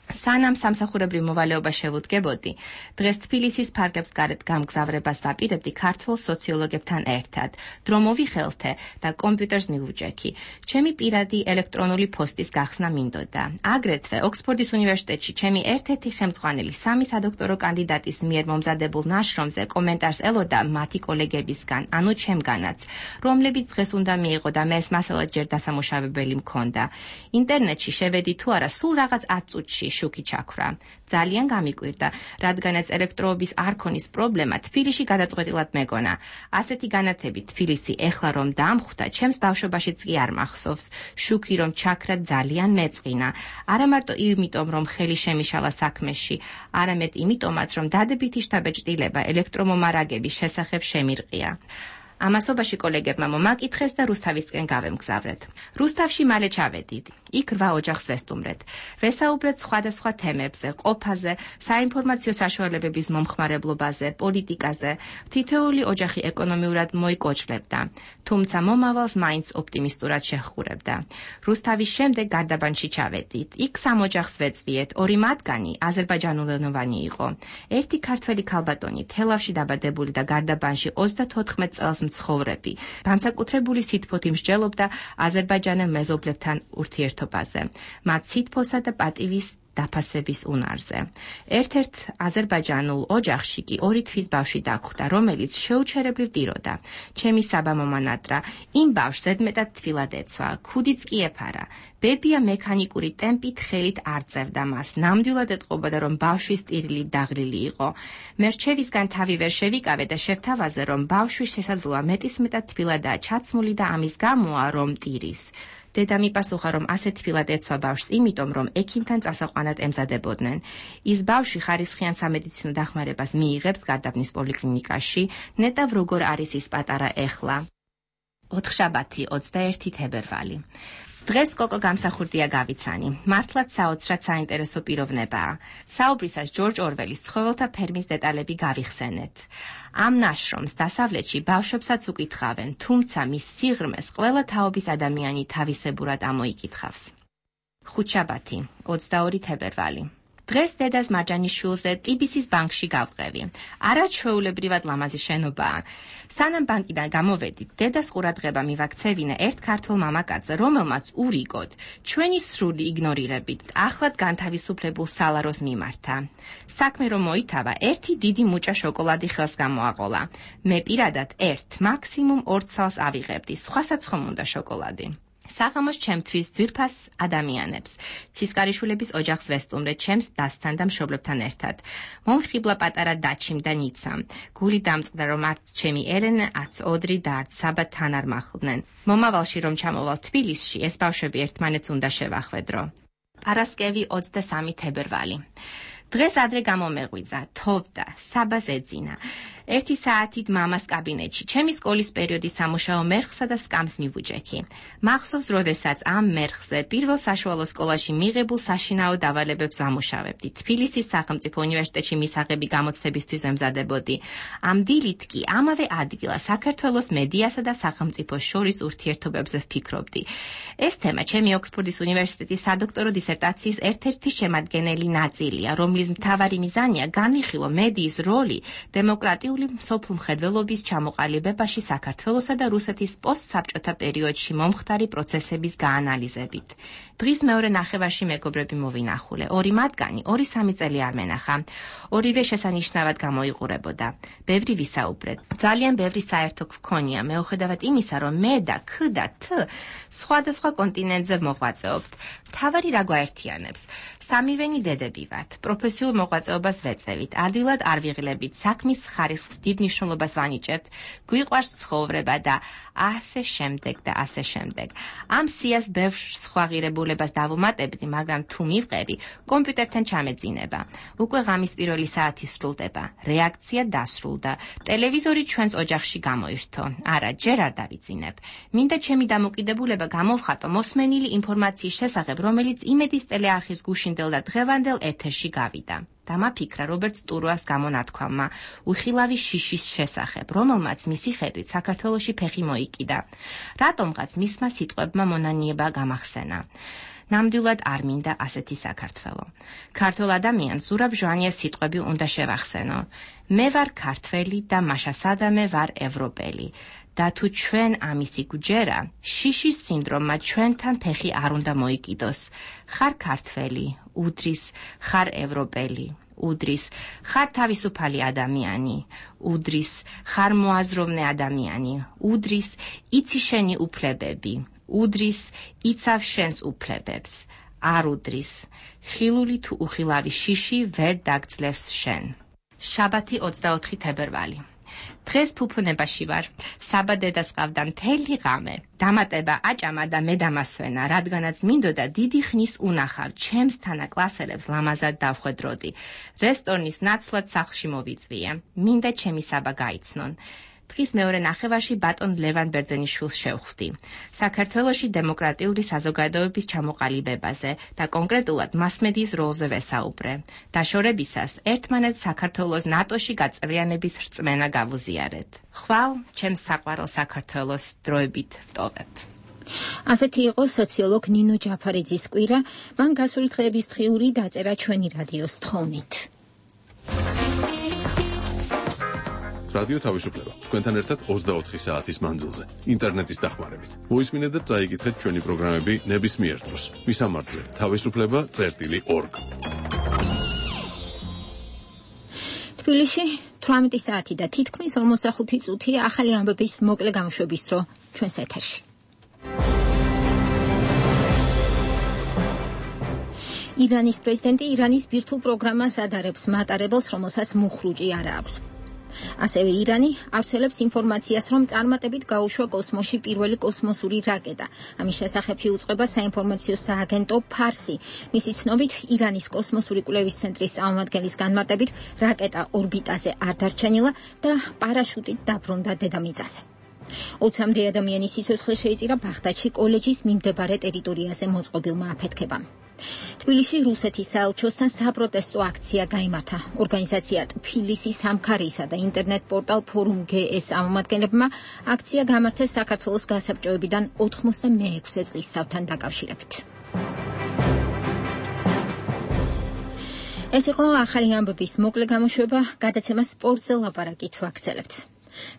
სანამ სამსახურებრივ მოვალეობა შევუდგებოდი, დღეს თბილისის ფარგლებს გარეთ გამგზავრებას ვაპირებდი ქართულ სოციოლოგებთან ერთად. დრო მოვიხელთე და კომპიუტერს მივუჯექი. ჩემი პირადი ელექტრონული პოსტის გახსნა მინდოდა. აგრეთვე ოქსფორდის უნივერსიტეტში ჩემი ერთ-ერთი ხელმძღვანელი 3 სადოქტორო კანდიდატის მიერ მომზადებულ ნაშრომზე კომენტარს ელოდა მათი კოლეგებისგან, ანუ ჩემგანაც, რომლებიც დღეს უნდა მიიღო და მე ეს მასალა ჯერ დასამუშავებელი მქონდა. ინტერნეტში შევედი თუ არა, სულ რაღაც 10 წუთში შუქი ჩაქვრა. ძალიან გამიკვირდა, რადგანაც ელექტროობის არ ქონის პრობლემა თბილისში გადაწყვეტილად მეგონა. ასეთი განათები თბილისი ეხლა რომ დამხვდა, ჩემს ბავშვობაშიც კი არ მახსოვს. შუქი რომ ჩაქრა ძალიან მეწყინა. არა მარტო იმიტომ რომ ხელი შემიშალა საქმეში, არამედ იმიტომაც რომ დადებითი შთაბეჭდილება ელექტრომომარაგების შესახებ შემირყია. ამასობაში კოლეგებმა მომაკითხეს და რუსთავისკენ გავემგზავრეთ. რუსთავში მალე ჩავედით. იქ 8 ოჯახს ვესტუმრეთ. ვესაუბრეთ სხვადასხვა თემებზე, ყოფაზე, საინფორმაციო საშუალებების მომხმარებლობაზე, პოლიტიკაზე. თითოეული ოჯახი ეკონომიურად მოიკოჭლებდა, თუმცა მომავალს მაინც ოპტიმისტურად შეჰყურებდა. რუსთავის შემდეგ გარდაბანში ჩავედით. იქ 3 ოჯახს ვეწვიეთ, 2 მათგანი აზერბაიჯანულენოვანი იყო. ერთი ქართველი ქალბატონი თელავში დაბადებული და გარდაბანში 34 წელს მცხოვრები. განსაკუთრებული სითბოთი მსჯელობდა აზერბაიჯანელ მეზობლებთან ურთიერთობაზე, მათ სითბოსა და პატივის დაფასების უნარზე. ერთ-ერთ აზერბაიჯანულ ოჯახში კი 2 თვის ბავშვი დაგხვდა, რომელიც შეუჩერებლივ ტიროდა. ჩემი საბა მომანატრა იმ ბავშვს ზედმეტად თბილად ეცვა, ქუდიც კი ეფარა. ბებია მექანიკური ტემპით ხელით არ წერდა მას, ნამდვილად ეტყობოდა, რომ ბავშვის ტირილი დაღლილი იყო. მე რჩევისგან თავი ვერ შევიკავე და შევთავაზე, რომ ბავშვი შესაძლოა მეტისმეტად თბილადაა ჩაცმული და ამის გამოა, რომ ტირის. დედა მიპასუხა, რომ ასეთ თბილად ეცვა ბავშვს, იმიტომ რომ ექიმთან წასაყვანად ემზადებოდნენ. ის ბავშვი ხარისხიან სამედიცინო დახმარებას მიიღებს გარდაბნის პოლიკლინიკაში, ნეტავ როგორ არის ის პატარა ეხლა. 4-შაბათი 21 თებერვალი. დღეს კოკო გამსახურდია გავიცანი. მართლაც საოცრად საინტერესო პიროვნებაა. საუბრისას ჯორჯ ორველის ცხოველთა ფერმის დეტალები გავიხსენეთ. ამ ნაშრომს დასავლეთში ბავშვებსაც უკითხავენ, თუმცა მის სიღრმეს ყველა თაობის ადამიანი თავისებურად ამოიკითხავს. 5-შაბათი 22 თებერვალი. დღეს დედას მარჯანიშვილზე ტიბისის ბანკში გავყევი. არაჩვეულებრივად ლამაზი შენობაა. სანამ ბანკიდან გამოვედით, დედას ყურადღება მივაქცევინა ერთ ქართველ მამაკაცზე, რომელმაც ურიგოდ ჩვენი სრული იგნორირებით ახლად განთავისუფლებულ სალაროს მიმართა. საქმე რომ მოითავა, ერთი დიდი მუჭა შოკოლადი ხელს გამოაყოლა. მე პირადად 1, მაქსიმუმ 2 ცალს ავიღებდი, სხვასაც ხომ უნდა შოკოლადი. საღამოს ჩემთვის ძვირფას ადამიანებს. ცისკარიშვილების ოჯახს ვესტუმრეთ ჩემს დასთან და მშობლებთან ერთად. მომხიბლა პატარა დაჩიმ და ნიცამ. გული დამწყდა, რომ არც ჩემი ელენე, არც ოდრი და არც საბა თან არ მახლდნენ. მომავალში რომ ჩამოვალ თბილისში, ეს ბავშვები ერთმანეთს უნდა შევახვედრო. პარასკევი 23 თებერვალი. დღეს ადრე გამომეღვიძა, თოვდა, საბას ეძინა. 1 საათით მამას კაბინეტში, ჩემი სკოლის პერიოდის სამუშაო მერხსა და სკამს მივუჯექი. მახსოვს, როდესაც ამ მერხზე პირველ საშუალო სკოლაში მიღებულ საშინაო დავალებებს ვამუშავებდი. თბილისის სახელმწიფო უნივერსიტეტში მისაღები გამოცდებისთვის ვემზადებოდი. ამ დილით კი ამავე ადგილას საქართველოს მედიასა და სახელმწიფოს შორის ურთიერთობებზე ვფიქრობდი. ეს თემა ჩემი ოქსფორდის უნივერსიტეტის სადოქტორო დისერტაციის ერთ-ერთი შემადგენელი ნაწილია, რომლის მთავარი მიზანია განვიხილო მედიის როლი დემოკრატიული სოფლ მხედველობის ჩამოყალიბებაში საქართველოსა და რუსეთის პოსტსაბჭოთა პერიოდში მომხდარი პროცესების გაანალიზებით. დღის მეორე ნახევარში მეგობრები მოვინახულე. 2 მათგანი 2-3 წელი არ მენახა. ორივე შესანიშნავად გამოიყურებოდა. ბევრი ვისაუბრეთ. ძალიან ბევრი საერთო გვქონია, მეუხედავად იმისა, რომ მე და ქ და თ სხვადასხვა კონტინენტზე მოღვაწეობთ. მთავარი რა გვაერთიანებს? სამივენი დედები ვართ. პროფესიულ მოღვაწეობას ვეწევით. ადვილად არ ვიღლებით. საქმის ხარისხს დიდ მნიშვნელობას ვანიჭებთ. გვიყვარს ცხოვრება და ასე შემდეგ და ასე შემდეგ. ამ სიას ბევრ სხვა ღირებულებას დავუმატებდი, მაგრამ თუ მივყევი, კომპიუტერთან ჩამეძინება. უკვე ღამის პირველი საათი სრულდება. რეაქცია დასრულდა. ტელევიზორი ჩვენს ოჯახში გამოირთო. არა, ჯერ არ დავიძინებ. მინდა ჩემი დამოკიდებულება გამოვხატო მოსმენილი ინფორმაციის შესახებ, რომელიც იმედის ტელეარხის გუშინდელ და დღევანდელ ეთერში გავიდა. დამაფიქრა რობერტ სტურუას გამონათქვამმა უხილავი შიშის შესახებ, რომელმაც მისი ხედვით საქართველოში ფეხი მოიკიდა. რატომღაც მისმა სიტყვებმა მონანიება გამახსენა. ნამდვილად არ მინდა ასეთი საქართველო. ქართულ ადამიანს ზურაბ ჟვანიას სიტყვები უნდა შევახსენო. მე ვარ ქართველი და მაშა სადამე ვარ ევროპელი. და თუ ჩვენ ამისი გვჯერა, შიშის სინდრომმა ჩვენთან ფეხი არ უნდა მოიკიდოს. ხარ ქართველი, უდრის, ხარ ევროპელი, უდრის, ხარ თავისუფალი ადამიანი, უდრის, ხარ მოაზროვნე ადამიანი, უდრის, იცი შენი უფლებები, უდრის, იცავ შენს უფლებებს, არ უდრის, ხილული თუ უხილავი შიში ვერ დაგძლევს შენ. შაბათი 24 თებერვალი. დღეს ფუფუნებაში ვარ. საბა დედას ყავდა მთელი ღამე. დამატება აჭამა და მე დამასვენა, რადგანაც მინდოდა დიდი ხნის უნახავ ჩემს თანაკლასელებს ლამაზად დავხვედროდი. რესტორნის ნაცვლად სახლში მოვიწვია. მინდა ჩემი საბა გაიცნონ. დღის მეორე ნახევარში ბატონ ლევან ბერძენიშვილს შევხვდი. საქართველოში დემოკრატიული საზოგადოების ჩამოყალიბებაზე და კონკრეტულად მასმედიის როლზე ვესაუბრე. დაშორებისას ერთმანეთს საქართველოს ნატოში გაწევრიანების რწმენა გავუზიარეთ. ხვალ ჩემს საყვარელ საქართველოს დროებით ვტოვებ. ასეთი იყო სოციოლოგ ნინო ჯაფარიძის კვირა, მან გასული დღეების დღიური დაწერა ჩვენი რადიოს თხოვნით. რადიო თავისუფლება თქვენთან ერთად 24 საათის მანძილზე ინტერნეტის დახმარებით. მოისმინეთ და წაიკითხეთ ჩვენი პროგრამები ნებისმიერ დროს. მისამართზე თავისუფლება.org. თბილისში 18 საათი და თითქმის 45 წუთია ახალი ამბების მოკლე გამოშვების დრო ჩვენს ეთერში. ირანის პრეზიდენტი ირანის ბირთვულ პროგრამას ადარებს მატარებელს, რომელსაც მუხრუჭი არ აქვს. ასევე ირანი ავრცელებს ინფორმაციას, რომ წარმატებით გაუშვა კოსმოსში პირველი კოსმოსური რაკეტა. ამის შესახებ იუწყება საინფორმაციო სააგენტო ფარსი. მისი ცნობით, ირანის კოსმოსური კვლევის ცენტრის წარმომადგენლის განმარტებით, რაკეტა ორბიტაზე არ დარჩენილა და პარაშუტით დაბრუნდა დედამიწაზე. 20-მდე ადამიანის სიცოცხლე შეიწირა ბაღდადში კოლეჯის მიმდებარე ტერიტორიაზე მოწყობილმა აფეთქებამ. თბილისში რუსეთის საელჩოსთან საპროტესტო აქცია გაიმართა. ორგანიზაცია თბილისი სამქარისა და ინტერნეტ პორტალ ფორუმ GS წარმომადგენლებმა აქცია გამართეს საქართველოს გასაბჭოებიდან 96 წლის სავალთან დაკავშირებით. ეს იყო ახალი ამბების მოკლე გამოშვება, გადაცემა სპორტზე ლაპარაკით ვაგრძელებთ.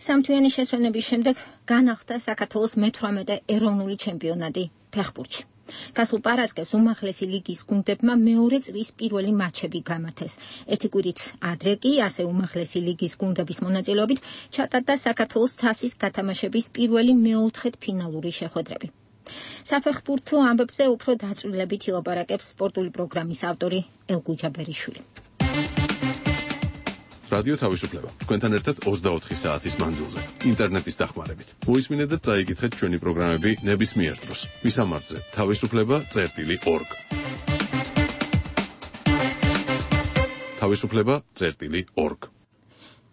სამთვიანი შესვენების შემდეგ განახლდა საქართველოს მე-18 ეროვნული ჩემპიონატი ფეხბურთში. გასულ პარასკევს უმაღლესი ლიგის გუნდებმა მეორე წლის პირველი მატჩები გამართეს. ერთი კვირით ადრე კი ასე უმაღლესი ლიგის გუნდების მონაწილეობით ჩატარდა საქართველოს თასის გათამაშების პირველი მეოთხედ ფინალური შეხვედრები. საფეხბურთო ამბებზე უფრო დაწვრილებით ილაპარაკებს სპორტული პროგრამის ავტორი ელგუჯა ბერიშვილი. რადიო თავისუფლება თქვენთან ერთად 24 საათის მანძილზე ინტერნეტის დახმარებით. მოისმინეთ და წაიკითხეთ ჩვენი პროგრამები ნებისმიერ დროს. მისამართზე თავისუფლება.org. თავისუფლება.org.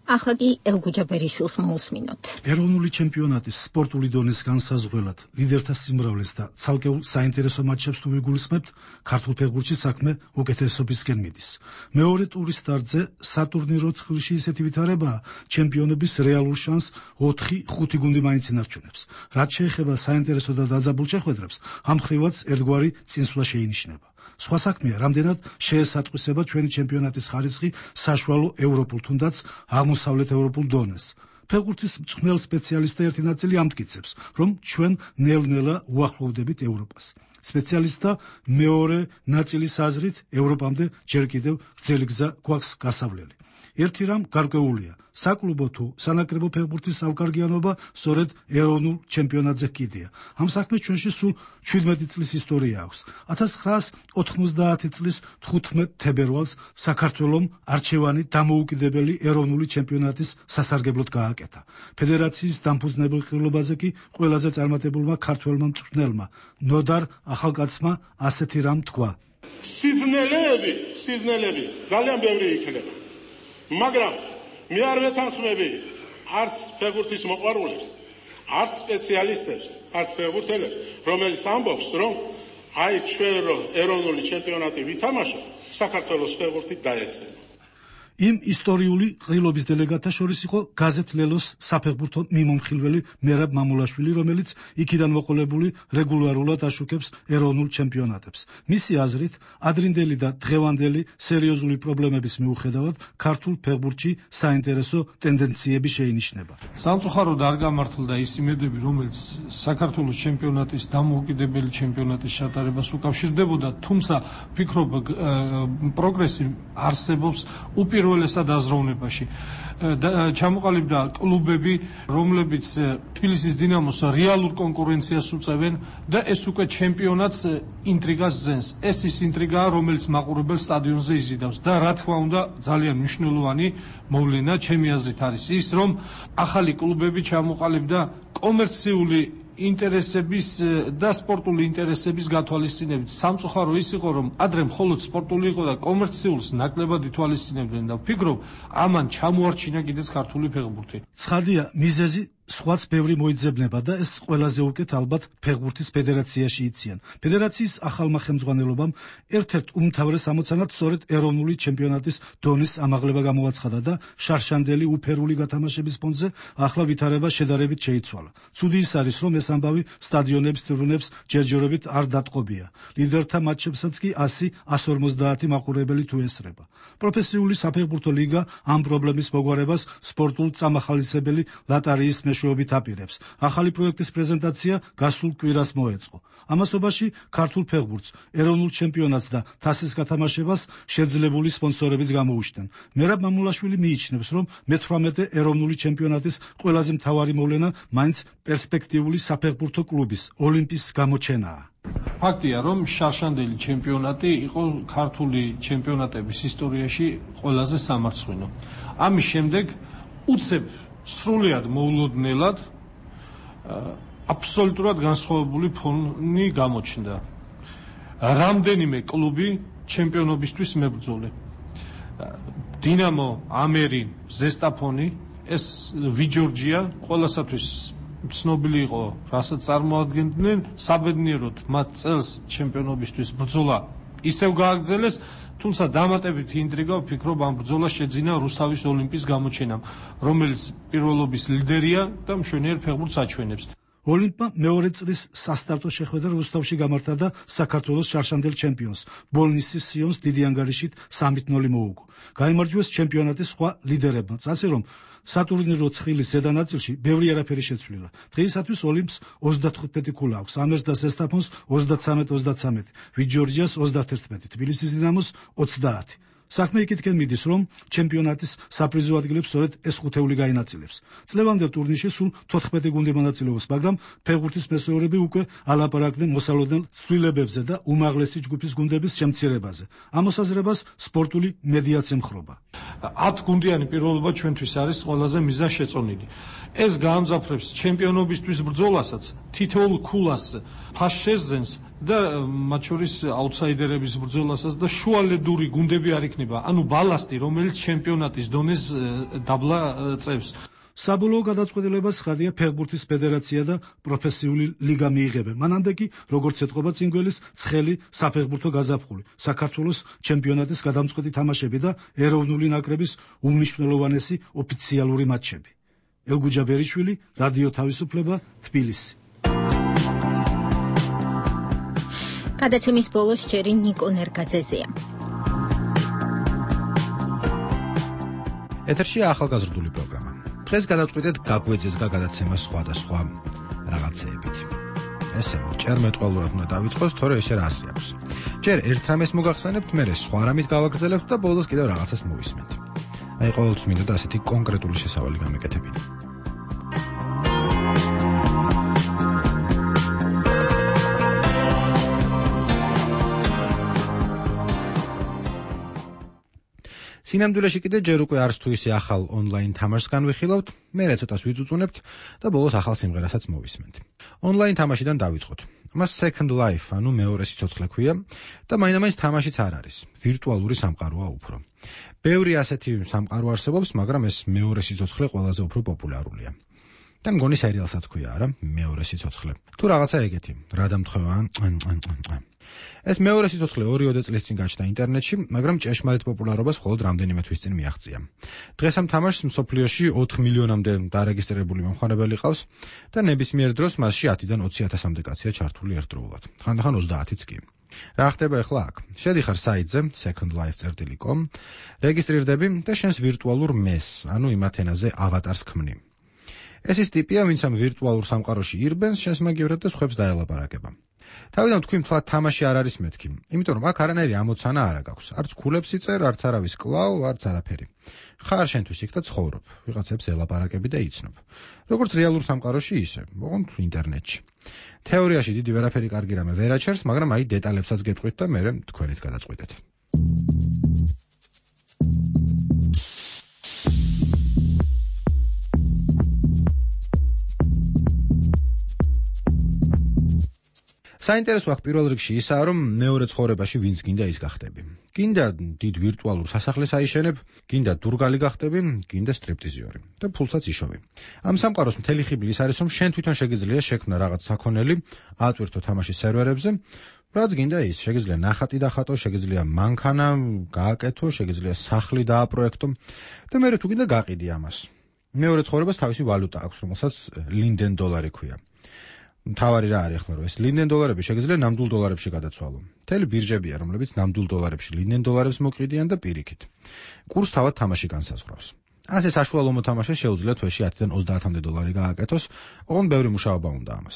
ახლა კი ელგუჯა ბერიშვილს მოусმინოთ. ეროვნული ჩემპიონატის სპორტული დონის განსაზღვრელად ლიდერთა სიმრავლეს და ცალკეულ საინტერესო მატჩებს თუ ვიგულისხმებთ, ქართულ ფეხბურთში საქმე უკეთესობისკენ მიდის. მეორე ტურის სტარტზე სატურნირო ცხრილში ისეთი ვითარებაა, ჩემპიონების რეალურ შანსს 4-5 გუნდი მაინც ინარჩუნებს. რაც შეეხება საინტერესო და დაძაბულ შეხვედრებს, ამ ხრივაც ერთგვარი წინსვლა შეინიშნება. სხვა საქმეა, რამდენად შეესატყვისება ჩვენი ჩემპიონატის ხარისხი საშუალო ევროპულ თუნდაც აღმოსავლეთ ევროპულ დონეს. ფეხბურთის მწვრთნელ სპეციალისტთა ერთი ნაწილი ამტკიცებს, რომ ჩვენ ნელ-ნელა უახლოვდებით ევროპას. სპეციალისტთა მეორე ნაწილის აზრით, ევროპამდე ჯერ კიდევ გრძელი გზა გვაქვს გასავლელი. ერთი რამ გარკვეულია, საკლუბო თუ სანაკრებო ფეხბურთის ავგარგიანობა სწორედ ეროვნულ ჩემპიონატზე კიდია. ამ საქმეს ჩვენში სულ 17 წლის ისტორია აქვს. 1990 წლის 15 თებერვალს საქართველომ არჩევანი დამოუკიდებელი ეროვნული ჩემპიონატის სასარგებლოდ გააკეთა. ფედერაციის დამფუძნებელ ყრილობაზე კი ყველაზე წარმატებულმა ქართველმა მწვრთნელმა ნოდარ ახალკაცმა ასეთი რამ თქვა. სიზნელები ძალიან ბევრი იქნება. მაგრამ მე არ ვეთანხმები არც ფეხბურთის მოყვარულებს, არც სპეციალისტებს, არც ფეხბურთელებს, რომელიც ამბობს, რომ აი ჩვენ რო ეროვნული ჩემპიონატი ვითამაშო, საქართველოს ფეხბურთი დაეცემა. იმ ისტორიული ყრილობის დელეგატთა შორის იყო გაზეთ ლელოს საფეხბურთო მიმომხილველი მერაბ მამულაშვილი, რომელიც იქიდან მოყოლებული რეგულარულად აშუქებს ეროვნულ ჩემპიონატებს. მისი აზრით, ადრინდელი და დღევანდელი სერიოზული პრობლემების მიუხედავად, ქართულ ფეხბურთში საინტერესო ტენდენციები შეინიშნება. სამწუხაროდ არ გამართლდა ის იმედები, რომელიც საქართველოს ჩემპიონატის დამოუკიდებელი ჩემპიონატის ჩატარებას უკავშირდებოდა, თუმცა ვფიქრობ, პროგრესი არსებობს უპირველესად აზროვნებაში. ჩამოყალიბდა კლუბები, რომლებიც თბილისის დინამოს რეალურ კონკურენციას უწევენ და ეს უკვე ჩემპიონატს ინტრიგას ზენს. ეს ის ინტრიგაა, რომელიც მაყურებელ სტადიონზე იზიდავს და რა თქმა უნდა ძალიან მნიშვნელოვანი მოვლენა ჩემი აზრით არის ის, რომ ახალი კლუბები ჩამოყალიბდა კომერციული ინტერესების და სპორტული ინტერესების გათვალისწინებით. სამწუხარო ის იყო, რომ ადრე მხოლოდ სპორტული იყო და კომერციულს ნაკლებად ითვალისწინებდნენ და ვფიქრობ, ამან ჩამოარჩინა კიდეც ქართული ფეხბურთი. ცხადია, მიზეზი სხვაც ბევრი მოიძებნება და ეს ყველაზე უკეთ ალბათ ფეხბურთის ფედერაციაში იციან. ფედერაციის ახალმა ხელმძღვანელობამ ერთ-ერთ უმთავრეს ამოცანად სწორედ ეროვნული ჩემპიონატის დონის ამაღლება გამოაცხადა და შარშანდელი უფერული გათამაშების ფონზე ახლა ვითარება შედარებით შეიცვალა. ცუდი ის არის, რომ ეს ამბავი სტადიონების ტრიბუნებს ჯერჯერობით არ დატყობია. ლიდერთა მატჩებსაც კი 100-150 მაყურებელი თუ ესრება. პროფესიული საფეხბურთო ლიგა ამ პრობლემის მოგვარებას სპორტულ წამახალისებელი ლატარიის მეშვეობით აპირებს. ახალი პროექტის პრეზენტაცია გასულ კვირას მოეწყო. ამასობაში ქართულ ფეხბურთს, ეროვნულ ჩემპიონატს და თასის გათამაშებას შეძლებული სპონსორებიც გამოუჩნდნენ. მერაბ მამულაშვილი მიიჩნევს, რომ მე-18 ეროვნული ჩემპიონატის ყველაზე მთავარი მოვლენა მაინც პერსპექტიული საფეხბურთო კლუბის ოლიმპის გამოჩენაა. ფაქტია, რომ შარშანდელი ჩემპიონატი იყო ქართული ჩემპიონატების ისტორიაში ყველაზე სამარცხვინო. ამის შემდეგ უცებ სრულიად მოულოდნელად აბსოლუტურად განსხვავებული ფონი გამოჩნდა. რამდენიმე კლუბი ჩემპიონობისთვის მებრძოლი. დინამო, ამერი, ზესტაფონი, ეს ვიჯორჯია ყველასათვის ცნობილი იყო, რასაც წარმოადგენდნენ, საბედნიეროდ მათ წელს ჩემპიონობისთვის ბრძოლა ისევ გააგრძელეს, თუმცა დამატებითი ინტრიგა ვფიქრობ ამ ბრძოლას შეძინა რუსთავის ოლიმპის გამოჩენამ, რომელიც პირველობის ლიდერია და მშვენიერ ფეხბურთს აჩვენებს. ოლიმპმა მეორე წლის სასტარტო შეხვედრა რუსთავში გამართა და საქართველოს შარშანდელ ჩემპიონს ბოლნისის სიონს დიდი ანგარიშით 3-0 მოუგო. გაიმარჯვეს ჩემპიონატის სხვა ლიდერებმაც, ასე რომ სატურნირო ცხილის ზედა ნაწილში ბევრი არაფერი შეცვლილა. დღეისათვის ოლიმპს 35 ქულა აქვს, ამერს და ზესტაფონს 33-33, ვიჯორჯიას 31, თბილისის დინამოს 30. საქმე იქითკენ მიდის, რომ ჩემპიონატის საპრიზო ადგილებს სწორედ ეს ხუთეული გაინაწილებს. წლევანდელ ტურნირში სულ 14 გუნდი მონაწილეობს, მაგრამ ფეხბურთის მესვეურები უკვე ალაპარაკდნენ მოსალოდნელ ცვლილებებზე და უმაღლესი ჯგუფის გუნდების შემცირებაზე. ამ მოსაზრებას სპორტული მედიაც ემხრობა. 10 გუნდიანი პირველობა ჩვენთვის არის ყველაზე მიზანშეწონილი. ეს გაამძაფრებს ჩემპიონობისთვის ბრძოლასაც, თითოეულ ქულას ფაშ შესძენს და მათ შორის აუტსაიდერების ბრძოლასაც და შუალედური გუნდები არ იქნება, ანუ ბალასტი, რომელიც ჩემპიონატის დონეს დაბლა წევს. საბოლოო გადაწყვეტილებას ცხადია ფეხბურთის ფედერაცია და პროფესიული ლიგა მიიღებენ. მანამდე კი, როგორც ეთყობა წინგველის, ცხელი საფეხბურთო გაზაფხული, საქართველოს ჩემპიონატის გადამწყვეტი თამაშები და ეროვნული ნაკრების უმნიშვნელოვანესი ოფიციალური მატჩები. ელგუჯა ბერიშვილი, რადიო თავისუფლება, თბილისი. გადაცემის ბოლოს ჯერი ნიკო ნერგაძეზეა. ეთერშია ახალგაზრდული პროგრამა. დღეს გადავწყვიტეთ გაგვეძებდა გადაცემა სხვადასხვა რაღაცეებით. ესე ჯერ მეტყველურად უნდა დავიწყოს, თორე ესე რა ასრი აქვს. ჯერ ერთ რამეს მოგახსენებთ, მერე სხვა რამით გავაგრძელებთ და ბოლოს კიდევ რაღაცას მოვისმენთ. აი ყოველთვის მინდოდა ასეთი კონკრეტული შესავალი გამეკეთებინა. სინამდვილეში კიდე ჯერ უკვე არც თუ ისე ახალ ონლაინ თამაშს განვიხილავთ, მერე ცოტას ვიწუწუნებთ და ბოლოს ახალ სიმღერასაც მოვისმენთ. ონლაინ თამაშიდან დავიწყოთ. მას Second Life, ანუ მეორე სიცოცხლე ქვია და მაინამაინც თამაშიც არ არის. ვირტუალური სამყაროა უფრო. ბევრი ასეთი სამყარო არსებობს, მაგრამ ეს მეორე სიცოცხლე ყველაზე უფრო პოპულარულია. და მგონი სერიალსაც ქვია, არა? მეორე სიცოცხლე. თუ რაღაცა ეგეთი, რა დამთხევა? ეს მეორე სიცოცხლე 2 წლის წინ გაჩნდა ინტერნეტში, მაგრამ ჭეშმარიტ პოპულარობას მხოლოდ რამდენიმე თვის წინ მიაღწია. დღეს ამ თამაშს მსოფლიოში 4 მილიონამდე დარეგისტრირებული მომხმარებელი ყავს და ნებისმიერ დროს მასში 10-დან 20,000-მდე კაცია ჩართული ერთდროულად. ხანდახან 30-იც კი. რა ხდება ახლა აქ? შედიხარ საიტზე secondlife.com, რეგისტრირდები და შენს ვირტუალურ მეს, ანუ იმ ათენაზე ავატარს ქმნი. ეს ის ტიპია, ვინც ამ ვირტუალურ სამყაროში ირბენს, შენს მაგივრად და სხვებს დაელაპარაკება. თავიდან თქვი მთლად თამაში არ არის მეთქი, იმიტომ რომ აქ არანაირი ამოცანა არ აქვს. არც ქულებს იწერ, არც არავის კლავ, არც არაფერი. ხარ შენთვის იქ და ცხოვრობ, ვიღაცებს ელაპარაკები და იცნობ. როგორც რეალურ სამყაროში ისე, ოღონდ ინტერნეტში. თეორიაში დიდი ვერაფერი კარგი რამე ვერ აჩერს, მაგრამ აი დეტალებსაც გეტყვით და მერე თქვენით გადაწყვეტეთ. საინტერესო აქ პირველ რიგში ისაა, რომ მეორე ცხოვრებაში ვინც გინდა ის გახდები. გინდა დიდ ვირტუალურ სასახლეს აიშენებ, გინდა დურგალი გახდები, გინდა სტრიპტიზიორი და ფულსაც იშოვი. ამ სამყაროს მთელი ხიბლი ის არის, რომ შენ თვითონ შეგიძლია შექმნა რაღაც საქონელი, ატვირთო თამაშის სერვერებზე, რაც გინდა ის, შეგიძლია ნახატი დახატო, შეგიძლია მანქანა გააკეთო, შეგიძლია სახლი დააპროექტო და მე თუ გინდა გაყიდი ამას. მეორე ცხოვრებას თავისი ვალუტა აქვს, რომელსაც ლინდენ დოლარი ქვია. თავარი რა არის ახლა, რომ ეს ლინდენ დოლარები შეგიძლია ნამდვილ დოლარებში გადაცვალო. მთელი ბირჟებია, რომლებიც ნამდვილ დოლარებში ლინდენ დოლარებს მოყიდიან და პირიქით. კურს თავად თამაში განსაზღვრავს. ასე საშუალო მოთამაშეს შეუძლია თვეში 10-დან 30-მდე დოლარი გააკეთოს, ოღონდ ბევრი მუშაობა უნდა ამას.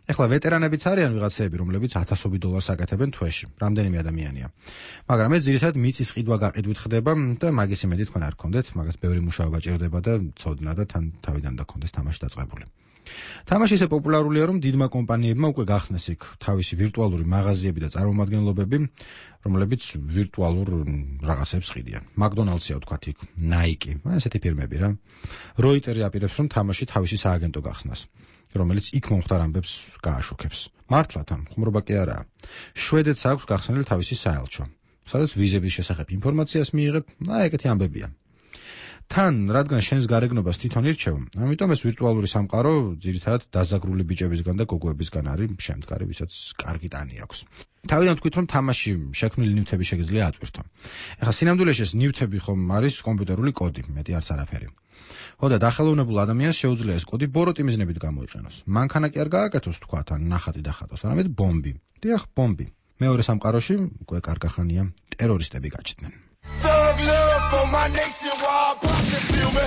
ეხლა ვეტერანებიც არიან ვიღაცები, რომლებიც 1000 დოლარს აკეთებენ თვეში. რამდენიმე ადამიანია. მაგრამ ეს ძირითადად მიწის ყიდვა გაყიდვით ხდება და მაგის იმედი თქვენ არ გქონდეთ, მაგას ბევრი მუშაობა ჭირდება და ცოდნა და თან თავიდან დაქონდეს თამაში დაწყებული. თამაში ისე პოპულარულია, რომ დიდმა კომპანიებმა უკვე გახსნეს იქ თავისი ვირტუალური მაღაზიები და წარმომადგენლობები, რომლებიც ვირტუალურ რაღაცებს ყიდიან. McDonald's-ია ვთქვათ იქ, Nike, ესეთი ფირმები რა. Reuters აპირებს, რომ თამაში თავისი სააგენტო გახსნას, რომელიც იქ მომხდარ ამბებს გააშუქებს. მართლა თან, ხუმრობა კი არაა. შვედეთს აქვს გახსნილი თავისი საელჩო, სადაც ვიზების შესახებ ინფორმაციას მიიღებ, ეგეთი ამბებია. თან, რადგან შენს გარეგნობას თვითონ ირჩევ, ამიტომ ეს ვირტუალური სამყარო ძირითადად დაზაგრული ბიჭებისგან და გოგოებისგან არის შემდგარი, ვისაც კარგი ტანი აქვს. თავიდან თქვით, რომ თამაში შექმნილი ნივთები შეგიძლია ატვირთო. ეხლა სინამდვილეში ეს ნივთები ხომ არის კომპიუტერული კოდი, მეტი არც არაფერი. ხო და დახელოვნებულ ადამიანს შეუძლია ეს კოდი ბოროტი მიზნებით გამოიყენოს. მანქანა კი არ გააკეთოს თქვათ, ან ნახატი დახატოს, არამედ ბომბი. დიახ, ბომბი. მეორე სამყაროში უკვე კარგახანია ტერორისტები გაჩნდნენ. Thug love for my nation while pushing feel me.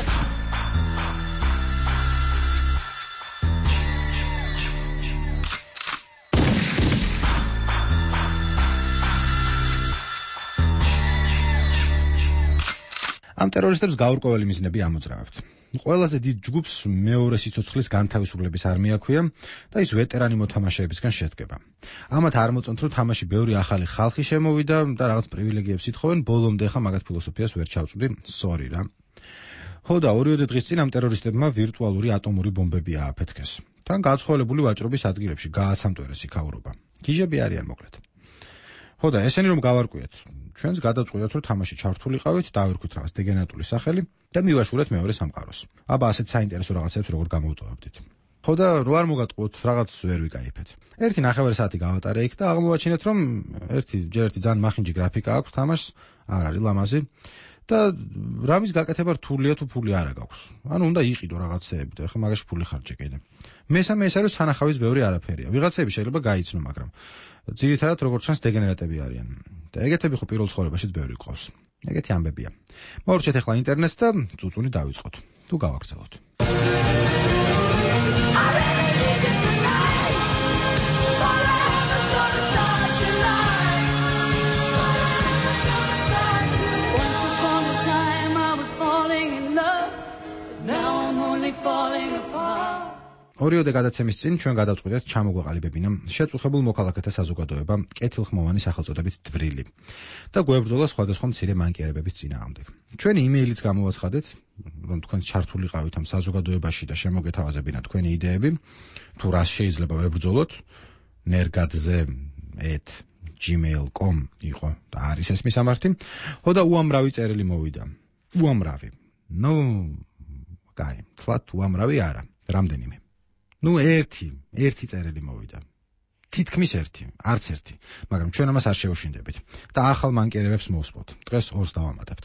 ამ ტერორისტებს გაურკვეველი მიზნები ამოძრავებთ. ყველაზე დიდ ჯგუფს მეორე სიცოცხლის განთავისუფლების არმია ქვია და ის ვეტერანი მოთამაშეებისგან შედგება. ამათ არ მოწონთ, რომ თამაში ბევრი ახალი ხალხი შემოვიდა და რაღაც პრივილეგიებს ითხოვენ, ბოლომდე ხა მაგათ ფილოსოფიას ვერ ჩავწვდი, sorry რა. ხო და 2 დღის წინ ამ ტერორისტებმა ვირტუალური ატომური ბომბები ააფეთქეს. თან გაცხოველებული ვაჭრობის ადგილებში გააცამტვერეს იქაურობა. გიჟები არიან მოკლედ. ხო და ესენი რომ გავარკვიეთ, ჩვენს გადაწყვეტათ, რომ თამაში ჩართულიყავით, დავირქვით რაღაც დეგენერატული სახელი და მივაშურეთ მეორე სამყაროს. აბა ასეთ საინტერესო რაღაცებს როგორ გამოვტოვებდით. ხო და რო არ მოგატყუოთ, რაღაც ვერ ვიკაიფეთ. 1.5 საათი გავატარე იქ და აღმოვაჩინეთ, რომ ერთი ძალიან მახინჯი გრაფიკა აქვს თამაშს, არ არის ლამაზი და რამის გაკეთება რთულია თუ ფული არ აქვს. ანუ უნდა იყიდო რაღაცეები და ხა მაგაში ფული ხარჯე კიდე. მესამე ეს არის სანახავის ბევრი არაფერია. ვიღაცები შეიძლება გაიცნო, მაგრამ ძირითადად როგორც ჩანს დეგენერატები არიან. და ეგეთები ხო პირველ ცხოვრებაშიც ბევრი ყავს. ეგეთი ამბებია. მოვარჩეთ ახლა ინტერნეტს და წუწუნი დავიწყოთ. თუ გავაგრძელოთ. ორიოდე გადაცემის წინ ჩვენ გადავწყვეტეთ ჩამოგვეყალიბებინა შეწუხებულ მოქალაქეთა საზოგადოება კეთილხმოვანი სახელწოდებით დვრილი და გვებრძოლა სხვადასხვა მცირე მანკიერებების წინააღმდეგ. ჩვენი იმეილიც გამოვაცხადეთ, რომ თქვენ ჩართულიყავით ამ საზოგადოებაში და შემოგეთავაზებინა თქვენი იდეები, თუ რას შეიძლება ვებრძოლოთ, nergadze@gmail.com იყო და არის ეს მისამართი. ხო და უამრავი წერილი მოვიდა. უამრავი. კაი, თლათ უამრავი არა, რამდენიმე. ერთი წერილი მოვიდა. თითქმის ერთი, არც ერთი, მაგრამ ჩვენ ამას არ შევშინდებით და ახალ მანკიერებებს მოვსპოთ. დღეს 2-ს დავამატებთ.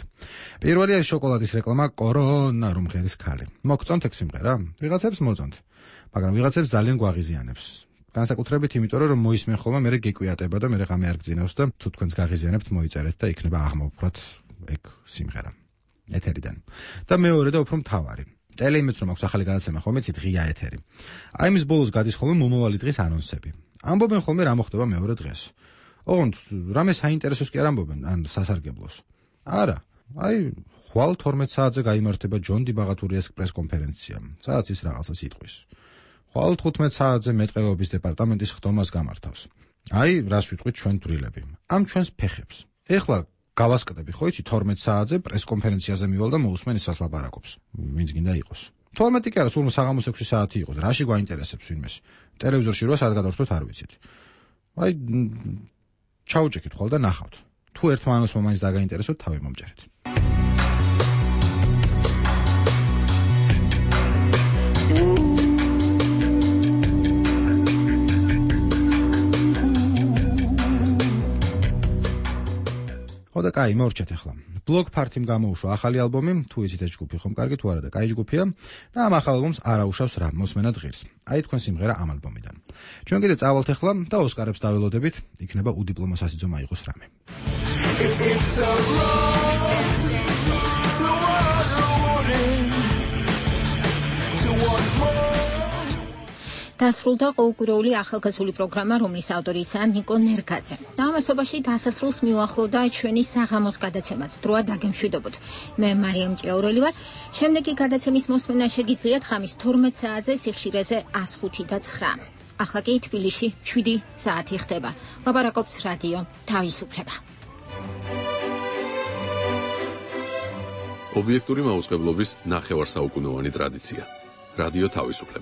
პირველია შოკოლადის რეკლამა კორონა რომ ღერის ქალი. მოგწონთ ეგ სიმღერა? ვიღაცებს მოწონთ, მაგრამ ვიღაცებს ძალიან გვაღიზიანებს. განსაკუთრებით იმიტომ, რომ მოისმენ ხოლმე მე გეკვიატება და მე ღამე არ გძინავს და თუ თქვენს გაღიზიანებთ მოიწერეთ და იქნება აღმოფხვრათ ეგ სიმღერა ეთერიდან. და მეორე და უფრო მთავარი ტელეიმეც რომ აქვს ახალი გადაცემა ხოლმე ცით ღია ეთერი. აი მის ბოლოს გადის ხოლმე მომავალი დღის ანონსები. ამბობენ ხოლმე რა მოხდება მეორე დღეს. ოღონდ რამე საინტერესოს კი არ ამბობენ, ან სასარგებლოს. არა, აი ხვალ 12 საათზე გაიმართება ჯონ დი ბაღათურიას პრესკონფერენცია, სადაც ის რაღაცას იტყვის. ხვალ 15 საათზე მეტყევების დეპარტამენტის ხდომას გამართავს. აი რას ვიტყვით ჩვენ დვრილები. ამ ჩვენს ფეხებს. ეხლა გავასკდები ხო იცი 12 საათზე პრესკონფერენციაზე მივალ და მოусმენ ისას ლაპარაკობს. ვინც გინდა იყოს. 12 კი არა, სულ საღამოს 6 საათი იყოს. რაში გვაინტერესებს ვინმეს? ტელევიზორში 8 საათი გადავხდოთ არ ვიცით. აი ჩაუჭიქით ხოლმე და ნახავთ. თუ ერთმანეთს მაინც დაგაინტერესოთ, თავი მომჯერეთ. და კაი, მორჩეთ ახლა. Block Party-მ გამოუშვა ახალი ალბომი, თუ იცით ეს ჯგუფი ხომ კარგი თუ არა და კაი ჯგუფია და ამ ახალ ალბომს არ აუშავს რა მოსმენად ღირს. აი თქვენ სიმღერა ამ ალბომიდან. ჩვენ კიდე წავალთ ახლა და ოსკარებს დაველოდებით, იქნება უდიპლომო სასიძო მაიღოს რამე. დასრულდა ყოველკვირეული ახალგაზრდული პროგრამა, რომლის ავტორიცაა ნიკო ნერგაძე. და ამასობაში დასასრულს მიუახლოვდა ჩვენი საღამოს გადაცემაც. დროა დაგემშვიდობოთ. მე მარიამ ჭიაურელი ვარ. შემდეგი გადაცემის მოსმენა შეგიძლიათ ხამის 12 საათზე სიხშირეზე 105 და 9. ახლა კი თბილისში 7 საათი ხდება. ლაპარაკობს რადიო თავისუფლება. ობიექტური მაუწყებლობის ნახევარსაუკუნოვანი ტრადიცია. რადიო თავისუფლება.